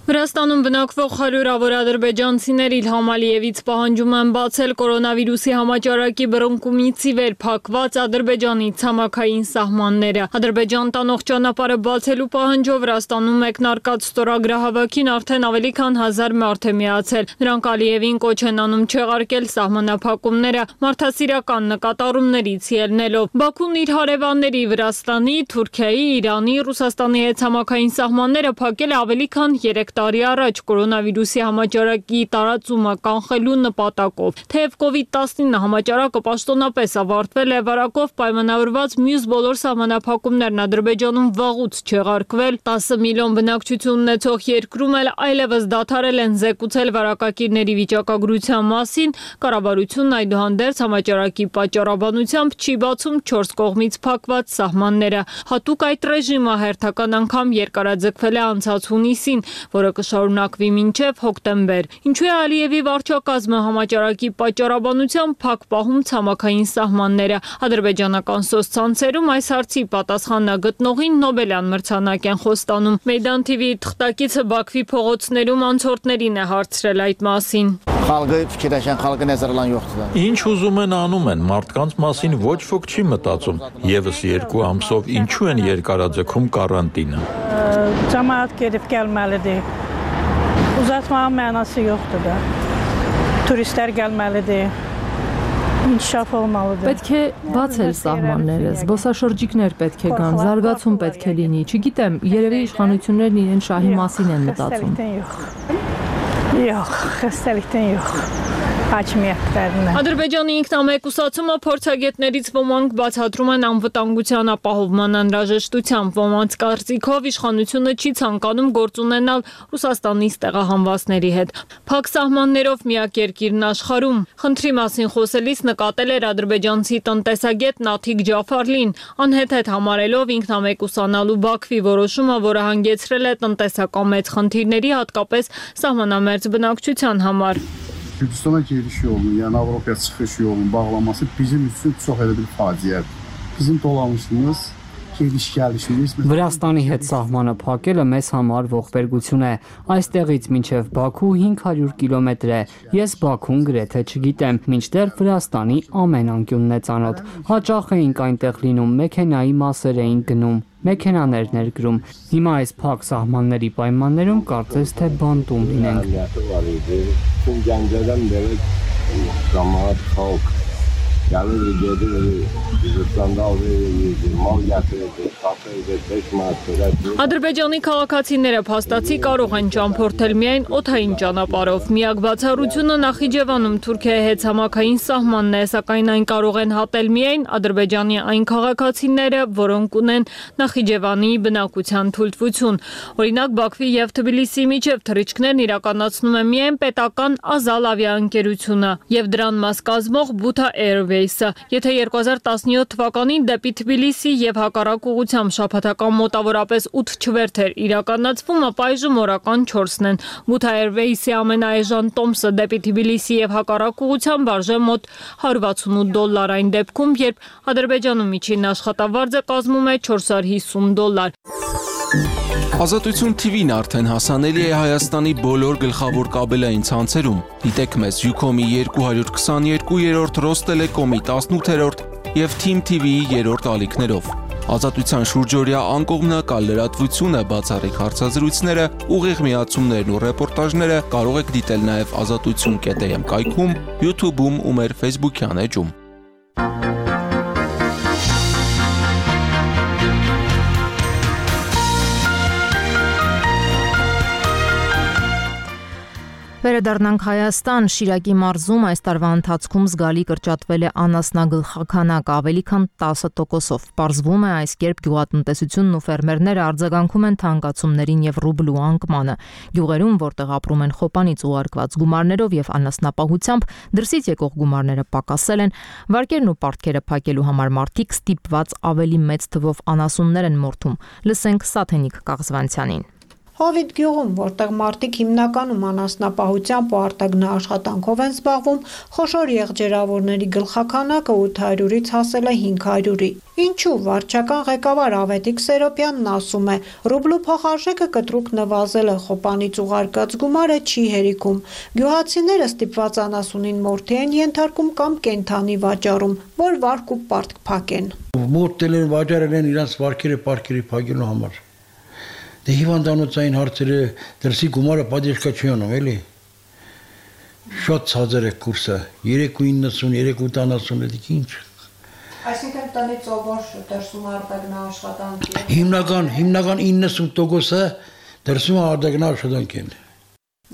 Վրաստանում բնակվող հարյուրավոր ադրբեջանցիներ Իլհամ Ալիևից պահանջում են բացել կորոնավիրուսի համաճարակի բռնկումից ի վեր փակված Ադրբեջանի ցամաքային սահմանները։ Ադրբեջան տանող ճանապարհը բացելու պահանջով Վրաստանում մեկնարկած ստորագրահավաքին արդեն ավելի քան հազար մարդ է միացել։ Նրանք Ալիևին կոչ են անում չեղարկել սահմանափակումները մարդասիրական նկատառումներից ելնելով։ Բաքուն իր հարևանների Վրաստանի, Թուրքիայի, Իրանի, Ռուսաստանի հետ ցամաքային սահմանները փակել է ավելի քան երեք տարի առաջ կորոնավիրուսի համաճարակի տարածումը կանխելու նպատակով։ Թեև կովիդ տասնինը համաճարակը պաշտոնապես ավարտվել է, վարակով պայմանավորված մյուս բոլոր սահմանափակումներն Ադրբեջանում վաղուց չեղարկվել, տասը միլիոն բնակչություն ունեցող երկրում էլ այլևս դադարել են զեկուցել վարակակիրների վիճակագրության մասին, կառավարությունն այդուհանդերձ համաճարակի պատճառաբանությամբ չի բացում չորս կողմից փակված սահմանները։ Հատուկ այդ ռեժիմը հերթական անգամ երկարաձգվել է անցած հունիսին, որը կշարունակվի մինչև հոկտեմբեր։ Ինչու է Ալիևի վարչակազմը համաճարակի պատճառաբանությամբ փակ պահում ցամաքային սահմանները։ Ադրբեջանական սոցցանցերում այս հարցի պատասխանը գտնողին Նոբելյան մրցանակ են խոստանում։ Մեյդան թի վի-ի թղթակիցը Բաքվի փողոցներում անցորդներին է հարցրել այդ մասին։ Խալկը ֆիկիրաշան խալկը նեզերլան յոხտը։ Ինչ ուզում են անում են, մարդկանց մասին ոչ ոք չի մտածում։ Եվս երկու ամսով ինչու են երկարաձգում կարանտինը։ Cəmaət gedib gəlməlidir. Uzatmağın mənası yoxdur da. Turistlər gəlməlidir. İnkişaf olmalıdır. Պետք է բացել սահմանները, զբոսաշրջիկներ պետք է գան, զարգացում պետք է լինի։ Չգիտեմ, երևի իշխանություններն իրեն շահի մասին են մտածում։ Yox, xəstəlikdən yox. Ադրբեջանի ինքնամեկուսացումը փորձագետներից ոմանք բացատրում են անվտանգության ապահովման անհրաժեշտությամբ, ոմանց կարծիքով իշխանությունը չի ցանկանում գործ ունենալ Ռուսաստանի ստեղահանվածների հետ։ Փակ սահմաններով միակ երկիրն աշխարհում։ Խնդրի մասին խոսելիս նկատել էր ադրբեջանցի տնտեսագետ Նաթիկ Ջաֆարլին, անհեթեթ համարելով ինքնամեկուսանալու Բաքվի որոշումը, որը հանգեցրել է տնտեսական մեծ խնդիրների, hատկապես սահմանամերձ բնակչության համար։ Gürcüstana giriş yolunun, yəni Avropaya çıxış yolunun bağlanması bizim üçün çox elə bir faciədir. Bizim dolanışımız, gediş-gəlişimiz Վրաստանի հետ սահմանը փակելը մեզ համար ողբերգություն է։ Այստեղից մինչև Բաքու հինգ հարյուր կիլոմետր է։ Ես Բաքուն գրեթե չգիտեմ, մինչդեռ Վրաստանի ամեն անկյունն է ծանոթ։ Հաճախ էինք այնտեղ լինում, մեքենայի մասեր էինք գնում, մեքենաներ ներկրում։ Հիմա այս փակ սահմանների պայմաններում կարծես թե բանտում լինենք։ Gəncədən belə cəmaət xalq gəlir, gedir, Gürcüstanda alır, mal gətirir, satır, beş manat verər։ Ադրբեջանի քաղաքացիները փաստացի կարող են ճամփորդել միայն օդային ճանապարհով։ Միակ բացառությունը Նախիջևանում Թուրքիայի հետ ցամաքային սահմանն է, սակայն այն կարող են հատել միայն Ադրբեջանի այն քաղաքացիները, որոնք ունեն Նախիջևանի բնակության թույլտվություն։ Օրինակ Բաքվի եւ Թբիլիսիի միջև թռիչքներն իրականացնում է միայն պետական Ազալ ավիաընկերությունը եւ դրան մաս կազմող Buta Airways-ը։ Եթե երկու հազար տասնյոթ թվականին դեպի Թբիլիսի եւ հակառակ ուղղությամբ շաբաթական մոտավորապես ութ չվերթեր իրականացվում, ապա այժմ օրական չորսն են։ Buta Airways-ի ամենաէժան տոմսը դեպի Թբիլիսի եւ հակառակ ուղղությամբ արժե մոտ հարյուր վաթսունութ դոլար այն դեպքում, երբ Ադրբեջանում միջին աշխատավարձը կազմում է չորս հարյուր հիսուն դոլար։ Ազատություն թի վին արդեն հասանելի է Հայաստանի բոլոր գլխավոր կաբելային ցանցերում։ Դիտեք մեզ Ucom-ի երկու հարյուր քսաներկու երրորդ, Ռոստելեկոմի տասնութերորդ եւ Թիմ թի վիի երրորդ ալիքներով։ Ազատության շուրջօրյա անկողմնակալ լրատվությունը, բացառիկ հարցազրույցները, ուղիղ միացումներն ու ռեպորտաժները կարող եք դիտել նաև ազատություն կետ էմ կայքում, YouTube-ում ու մեր Facebook-յան էջում։ Վերադառնանք Հայաստան, Շիրակի մարզում այս տարվա ընթացքում զգալի կրճատվել է անասնագլխաքանակը ավելի քան տասը տոկոսով։ Պարզվում է, այս կերպ գյուղատնտեսությունն ու ֆերմերները արձագանքում են թանկացումներին եւ ռուբլու անկմանը։ Գյուղերում, որտեղ ապրում են խոպանից ուղարկված գումարներով եւ անասնապահությամբ, դրսից եկող գումարները պակասել են, վարկերն ու պարտքերը փակելու համար մարդիկ ստիպված ավելի մեծ թվով անասուններ են մորթում։ Լսենք Սաթենիկ Կաղզվանցյանին։ Հովիտ գյուղում, որտեղ մարդիկ հիմնականում անասնապահությամբ ու արտագնաաշխատանքով են զբաղվում, խոշոր եղջերավորների գլխաքանակը ութ հարյուրից հասել է հինգ հարյուրի։ Ինչու վարչական ղեկավար Ավետիք Սերոպյանն ասում է, ռուբլու փոխարժեքը կտրուկ նվազել է, խոպանից ուղարկած գումարը չի հերիքում։ Գյուղացիները ստիպված անասունին մորթի են ենթարկում կամ կենդանի վաճառում, որ վարկ ու պարտք փակեն։ Մորթել են, վաճառել են իրանց վարկերը, պարտքերը փակելու համար։ Դե հիվանդանոցային հարցերը դրսի գումարը պատժկա չի անում, էլի։ Շատ ցածր է կուրսը, երեք ու իննսուն, երեք ու տանասուն, դիք ինչ։ Այսինքն տնից ովոր դրսում արտագնաաշխատանք է։ Հիմնական, հիմնական իննսուն տոկոսը դրսում արտագնաաշխատանք են։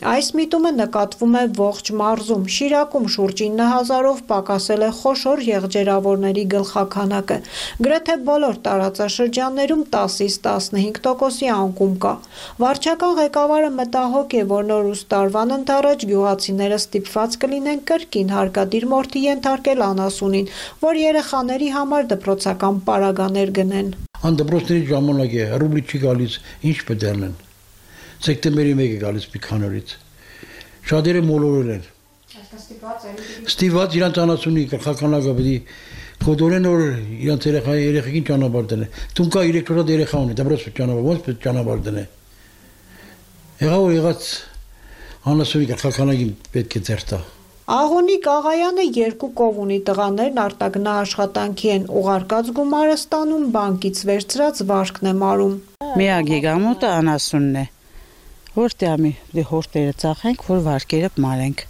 Այս միտումը նկատվում է ողջ մարզում, Շիրակում շուրջ ինը հազարով պակասել է խոշոր եղջերավորների գլխաքանակը, գրեթե բոլոր տարածաշրջաններում տասից տասնհինգ տոկոսի անկում կա։ Վարչական ղեկավարը մտահոգ է, որ նորուս տարվան ընթരാճ գյուղացիները ստիպված կլինեն կրկին հարկադիր մորթի ենթարկել անասունին, որ երեխաների համար դպրոցական պարագաներ գնեն։ Անդպրոցների ժամանակ է, ռուբլի չի գալիս, ինչ պետք է անեն։ Սեպտեմբերի մեկը գալիս Պիքանորից։ Շատերը մոլորել են։ Ստիպված իրանց անասունի գլխականակը պետք է կոդորեն որ իրանց երեխայի երեխեքին ճանապարհ դնեն։ Տունկա երեք շոտ երեխա ունի, դպրոց ճանապարհ, ոնց պետք ճանապարհ դնեն։ Եղավ որ եղած անասունի գլխականակին պետք է ձեր տա։ Աղոնիկ Աղայանը երկու կով ունի, տղաներն արտագնաաշխատանքի են, ուղարկած գումարը ստանում, բանկից վերցրած վարկն է մարում։ Միակ եկամուտը անասունն է։ Որտեղի դե հորտերը ծախենք, որ վարկերը մարենք։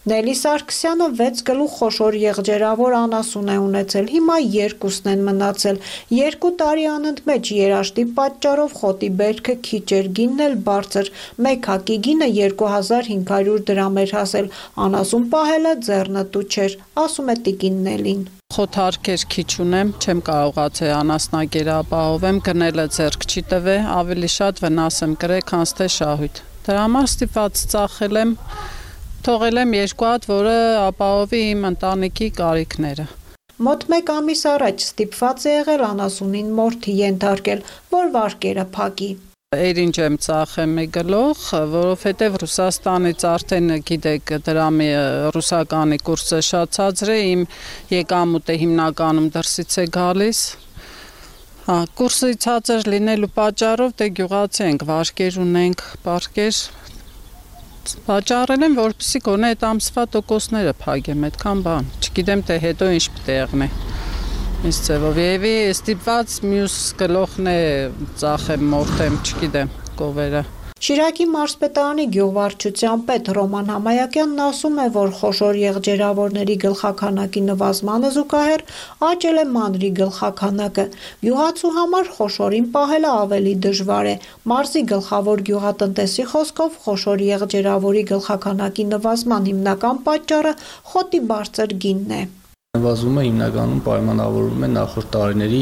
Նելի Սարգսյանը վեց գլուխ խոշոր եղջերավոր անասուն է ունեցել, հիմա երկուսն են մնացել, երկու տարի անընդմեջ երաշտի պատճառով խոտի բերքը քիչ էր, գինն էլ բարձր, մեկ հակի գինը երկու հազար հինգ հարյուր դրամ էր հասել, անասուն պահելը ձեռնտու չէր, ասում է տիկին Նելին։ Խոթարկեր քիչ ունեմ, չեմ կարողացել անասնագեր ապահովեմ, գնելը ձեռք չի տվե, ավելի շատ վնաս եմ կրել, քան թե շահույթ։ Դրա համար ստիպված ծախել եմ, թողել եմ երկու հատ, որը ապահովի իմ ընտանիքի կարիքները։ Մոտ մեկ ամիս առաջ ստիպված է եղել անասունին մորթի ենթարկել, որ վարկերը փակի։ Էրինչ եմ ծախեմ մի գլուխ, որովհետև Ռուսաստանից արդեն գիտեք դրամի ռուսականի կուրսը շատ ցածր է, իմ եկամուտը հիմնականում դրսից է գալիս։ Հա, կուրսը ցածր լինելու պատճառով դե գյուղացի ենք, վարկեր ունենք, պարկեր Վաճառել եմ, որպեսզի գոնե այդ ամսվա տոկոսները փակեմ, այդքան բան։ Չգիտեմ թե հետո ինչ պետք է եղնի։ Ինչ ձևով եւի ստիպված մյուս գլոխն է ծախեմ, մորթեմ, չգիտեմ, կովերը։ Շիրակի մարզպետարանի գյուղվարչության պետ Ռոման Համայակյանն ասում է, որ խոշոր եղջերավորների գլխաքանակի նվազմանը զուգահեռ աճել է մանրի գլխաքանակը։ Գյուղացու համար խոշորին պահելը ավելի դժվար է։ Մարզի գլխավոր գյուղատնտեսի խոսքով խոշոր եղջերավորի գլխաքանակի նվազման հիմնական պատճառը խոտի բարձր գինն է։ Նվազումը հիմնականում պայմանավորվում է նախորդ տարիների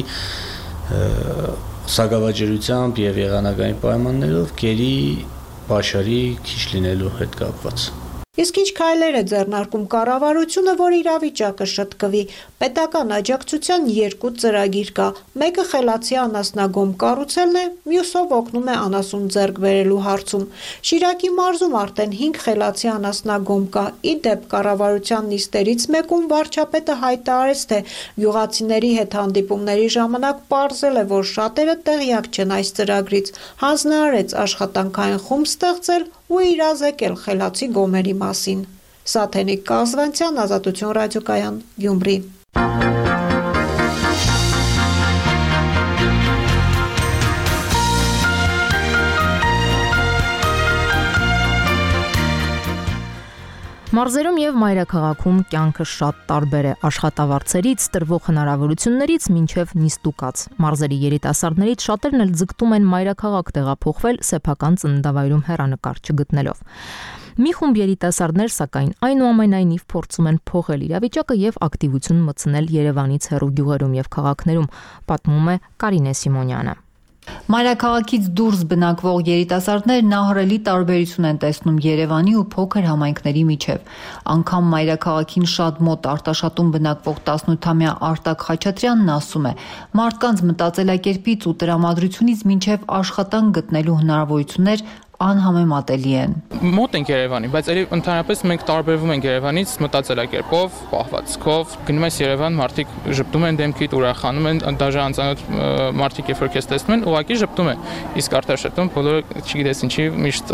սակավաճառությամբ եւ եղանակային պայմաններով գերի պաշարի քիչ լինելու հետ կապված։ Իսկ ինչ քայլեր է ձեռնարկում կառավարությունը, որ իրավիճակը շտկվի։ Պետական աջակցության երկու ծրագիր կա։ Մեկը խելացի անասնագոմ կառուցելն է, մյուսով օգնում է անասուն ձեռք բերելու հարցում։ Շիրակի մարզում արդեն հինգ խելացի անասնագոմ կա։ Ի դեպ կառավարության նիստերից մեկում վարչապետը հայտարարեց, թե գյուղացիների հետ հանդիպումների ժամանակ պարզել է, որ շատերը տեղյակ չեն այս ծրագրից։ Հանձնարարեց աշխատանքային խումբ ստեղծել ու իրազեկել խելացի գոմերի մասին։ Սաթենիկ Կազվանցյան, Ազատություն ռադիոկայան, Գյումրի։ Մարզերում եւ մայրաքաղաքում կյանքը շատ տարբեր է, աշխատավարձերից, տրվող հնարավորություններից մինչեւ նիստուկած։ Մարզերի երիտասարդներից շատերն էլ ձգտում են մայրաքաղաք տեղափոխվել սեփական ծննդավայրում հեռանկար չգտնելով։ Մի խումբ երիտասարդներ, սակայն, այնուամենայնիվ փորձում են փոխել իրավիճակը եւ ակտիվություն մտցնել Երևանից հեռու գյուղերում եւ քաղաքներում, պատմում է Կարինե Սիմոնյանը։ Մայրաքաղաքից դուրս բնակվող երիտասարդներն ահռելի տարբերություն են տեսնում Երևանի ու փոքր համայնքների միջև։ Անգամ մայրաքաղաքին շատ մոտ Արտաշատում բնակվող տասնութամյա Արտակ Խաչատրյանն ասում է. մարդկանց մտածելակերպից ու տրամադրությունից մինչև աշխատանք գտնելու հնարավորություններ անհամեմատելի են։ Մոտ ենք Երևանի, բայց ելի ընդհանրապես մենք տարբերվում ենք Երևանից մտածելակերպով, պահվածքով։ Գնում ես Երևան, մարդիկ ժպտում են դեմքիդ, ուրախանում են, դաժե անծանոթ մարդիկ երբ որ քեզ տեսնում են, ուղղակի ժպտում են։ Իսկ Արտաշատում բոլորը չգիտես ինչի միշտ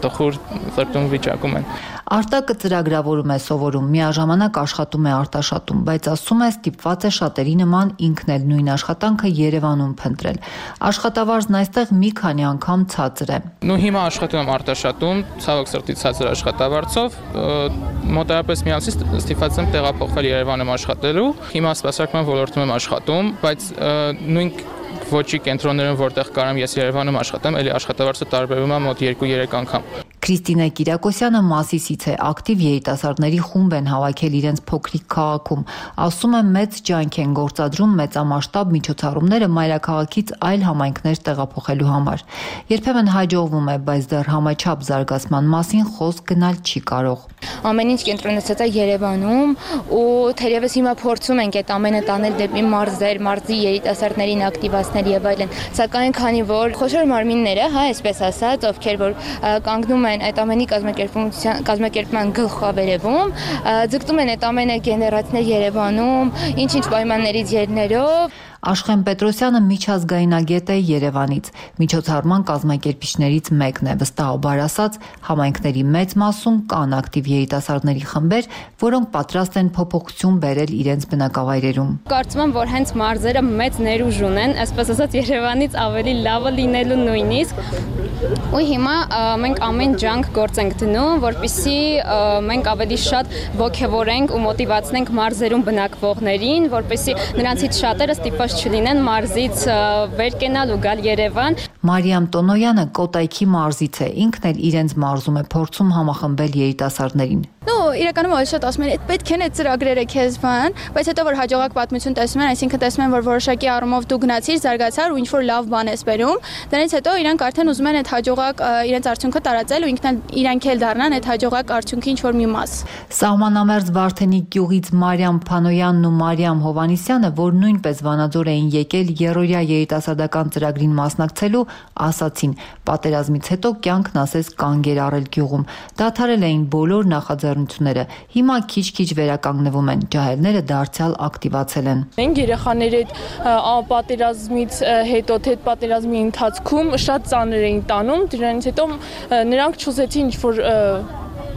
տխուր ծրտում վիճակում են։ Արտակը ծրագրավորում է սովորում, միաժամանակ աշխատում է Արտաշատում, բայց ասում է ստիպված է շատերի նման ինքն էլ նույն աշխատանքը Երևանում փնտրել։ Աշխատավարձն այստեղ մի քանի անգամ ցածր է։ Նու հիմա աշխատում եմ Արտաշատում, ցավոք սրտի ցածր աշխատավարձով, մոտավորապես մի ամսից ստիպված եմ տեղափոխվել Երևանում աշխատելու։ Հիմա սպասարկման ոլորտում եմ աշխատում, բայց նույն ոչի կենտրոններում որտեղ կարամ ես Երևանում աշխատեմ, էլի աշխատավարձը տարբերվում է մոտ երկու-երեք անգամ։ Քրիստինե Կիրակոսյանը Մասիսից է, ակտիվ երիտասարդների խումբ են հավաքել իրենց փոքրիկ քաղաքում։ Ասում է մեծ ջանք են գործադրում մեծամասշտաբ միջոցառումները մայրաքաղաքից այլ համայնքներ տեղափոխելու համար։ Երբեմն հաջողվում է, բայց դեռ համաչափ զարգացման մասին խոսք գնալ չի կարող։ Ամեն ինչ կենտրոնացած է Երևանում ու թերևս հիմա փորձում ենք այդ ամենը տանել դեպի մարզեր, մարզի երիտասարդներին ակտիվացնել եւ այլն։ Սակայն քանի որ խոշոր մարմինները, հա, այսպես ասած, ովքեր որ կանգնում են այդ ամենի կազմակերպության կազմակերպման գլխավերևում, ձգտում են այդ ամենը գեներացնել Երևանում, ինչ-ինչ պայմաններից ելնելով։ Աշխեն Պետրոսյանը միջազգայնագետ է Երևանից, միջոցառման կազմակերպիչներից մեկն է, վստահաբար ասած, համայնքների մեծ մասում կան ակտիվ երիտասարդների խմբեր, որոնք պատրաստ են փոփոխություն բերել իրենց բնակավայրերում։ Կարծում եմ, որ հենց մարզերը մեծ ներուժ ունեն, այսպես ասած Երևանից ավելի լավը լինելու նույնիսկ։ Ու հիմա մենք ամեն ջանք գործ ենք դնում, որպեսզի մենք ավելի շատ ոգևորենք ու մոտիվացնենք մարզերում բնակվողներին, որպեսզի նրանցից շատերը ստիպված չլինեն մարզից վեր կենալ ու գալ Երևան։ Մարիամ Տոնոյանը Կոտայքի մարզից է, ինքն էլ իրենց մարզում է փորձում համախմբել երիտասարդներին։ Ну, իրականում ոչ շատ ասում են, այդ պետք են այդ ծրագրերը քեզ բան, բայց հետո որ հաջողակ պատմություն տեսնում են, այսինքն տեսնում են, որ որոշակի առումով դու գնացիր, զարգացար ու ինչ որ լավ բան ես բերում, դրանից հետո իրանք արդեն ուզում են այդ հաջողակ իրենց արդյունքը տարածել ու ինքն իրանք էլ դառնան այդ հաջողակ արդյունքի ինչ որ մի մաս։ Սահմանամերձ Վարդենիկ գյուղից Մարիամ Փանոյանն ու Մարիամ Հովանիսյանը, որ նույնպես Վանաձոր էին եկել երրորդյա երիտասարդական ծրագրին մասնակցելու, ասացին, պատերազմից հետո կյանքն ասես կանգ էր առել գյուղում, դադարել էին բոլոր նախաձեռնությունները, հիմա քիչ-քիչ վերականգնվում են, ջահելները դարձյալ ակտիվացել են։ Մենք երեխաների հետ պատերազմից հետո, թե պատերազմի ընթացքում շատ ծանր էին տանում, դրանից հետո նրանք չուզեցին ինչ-որ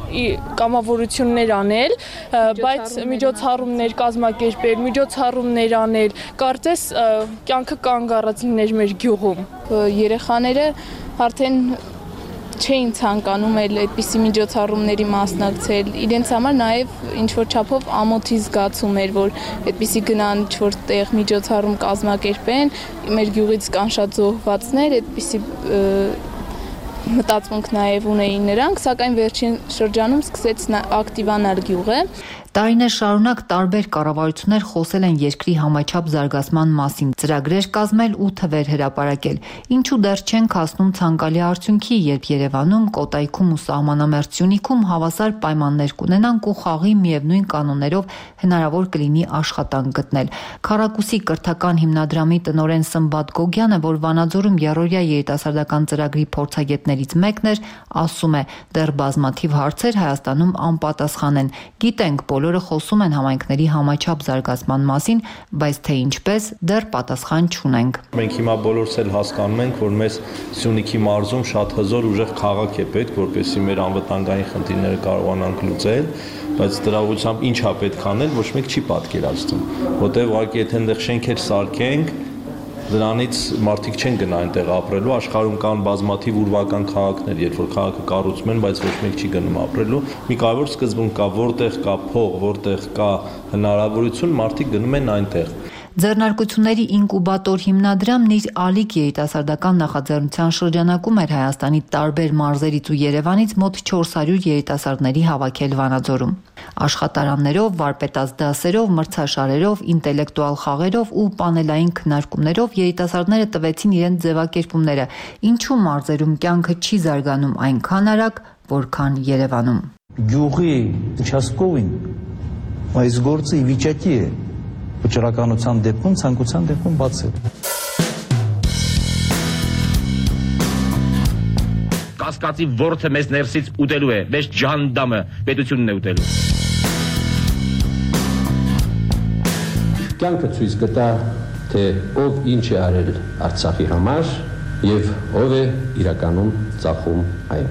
կամավորություններ անել, բայց միջոցառումներ կազմակերպել, միջոցառումներ անել, կարծես կյանքը կանգ առած լիներ մեր գյուղում։ Երեխաները արդեն չէին ցանկանում էլ այդպիսի միջոցառումների մասնակցել։ Իրենց համար նաև ինչ որ չափով ամոթի զգացում էր, որ այդպիսի գնան ինչ-որ տեղ միջոցառում կազմակերպեն, մեր գյուղից կան շատ զոհվածներ, այդպիսի մտածմունք նաև ունեին նրանք, սակայն վերջին շրջանում սկսեց ակտիվանալ գյուղը։ Տարիներ շարունակ տարբեր կառավարություններ խոսել են երկրի համաչափ զարգացման մասին, ծրագրեր կազմել ու թվեր հրապարակել։ Ինչու դեռ չենք հասնում ցանկալի արդյունքի, երբ Երևանում, Կոտայքում ու Սահմանամերձ Սյունիքում հավասար պայմաններ կունենանք ու խաղի միևնույն կանոններով հնարավոր կլինի աշխատանք գտնել։ Քառակուսի կրթական հիմնադրամի տնօրեն Սմբատ Գոգյանը, որ Վանաձորում երրորդյա երիտասարդական ծրագրի փորձագետներից մեկն էր, ասում է, դեռ բազմաթիվ հարցեր Հայաստանում անպատասխան են։ Գիտենք, բոլորը խոսում են համայնքների համաչափ զարգացման մասին, բայց թե ինչպես, դեռ պատասխան չունենք։ Մենք հիմա բոլորս էլ հասկանում ենք, որ մեզ Սյունիքի մարզում շատ հզոր ուժեղ քաղաք է պետք, որպեսզի մեր անվտանգային խնդիրները կարողանանք լուծել, բայց դրա ուղղությամբ ինչ է պետք անել, ոչ մեկ չի պատկերացնում, որտեղ ուղղակի եթե այնտեղ շենքեր սարքենք, Դրանից մարդիկ չեն գնա այնտեղ ապրելու, աշխարհում կան բազմաթիվ ուրվական քաղաքներ, երբ որ քաղաքը կառուցում են, բայց ոչ մեկ չի գնում ապրելու։ Մի կարևոր սկզբունք կա, որտեղ կա փող, որտեղ կա հնարավորություն, մարդիկ գնում են այնտեղ։ Ձեռնարկությունների ինկուբատոր հիմնադրամն իր ալիք երիտասարդական նախաձեռնության շրջանակում էր Հայաստանի տարբեր մարզերից ու Երևանից մոտ չորս հարյուր երիտասարդների հավաքել Վանաձորում։ Աշխատարաններով, վարպետաց դասերով, մրցաշարերով, ինտելեկտուալ խաղերով ու պանելային քննարկումներով երիտասարդները տվեցին իրենց ձևակերպումները, ինչու մարզերում կյանքը չի զարգանում այնքան արագ, որքան Երևանում։ Գյուղի участковին այս գործը ի վիճակի է վճռականության դեպքում, ցանկության դեպքում բացել։ Կասկածի ворթը մեզ ներսից ուտելու է, մեզ ջանդամը պետությունն է ուտելու։ Կյանքը ցույց կտա, թե ով ինչ է արել Արցախի համար եւ ով է իրականում ծախում այն։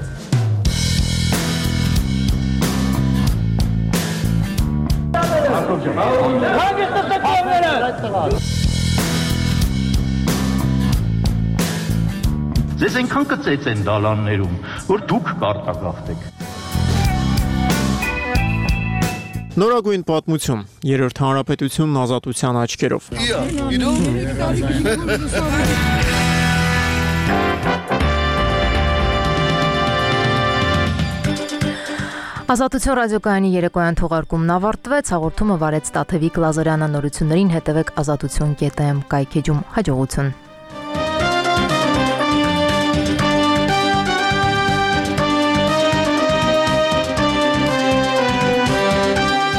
Ձեզ այնքան կծեց են դալաններում, որ դուք կարտագաղթեք։ Նորագույն պատմություն, երրորդ հանրապետությունն ազատության աչքերով։ Ազատություն ռադիոկայանի երեկոյան թողարկումն ավարտվեց, հաղորդումը վարեց Տաթևիկ Լազարյանը, նորություններին հետևեք ազատություն կետ եմ կայքեջում, հաջողություն։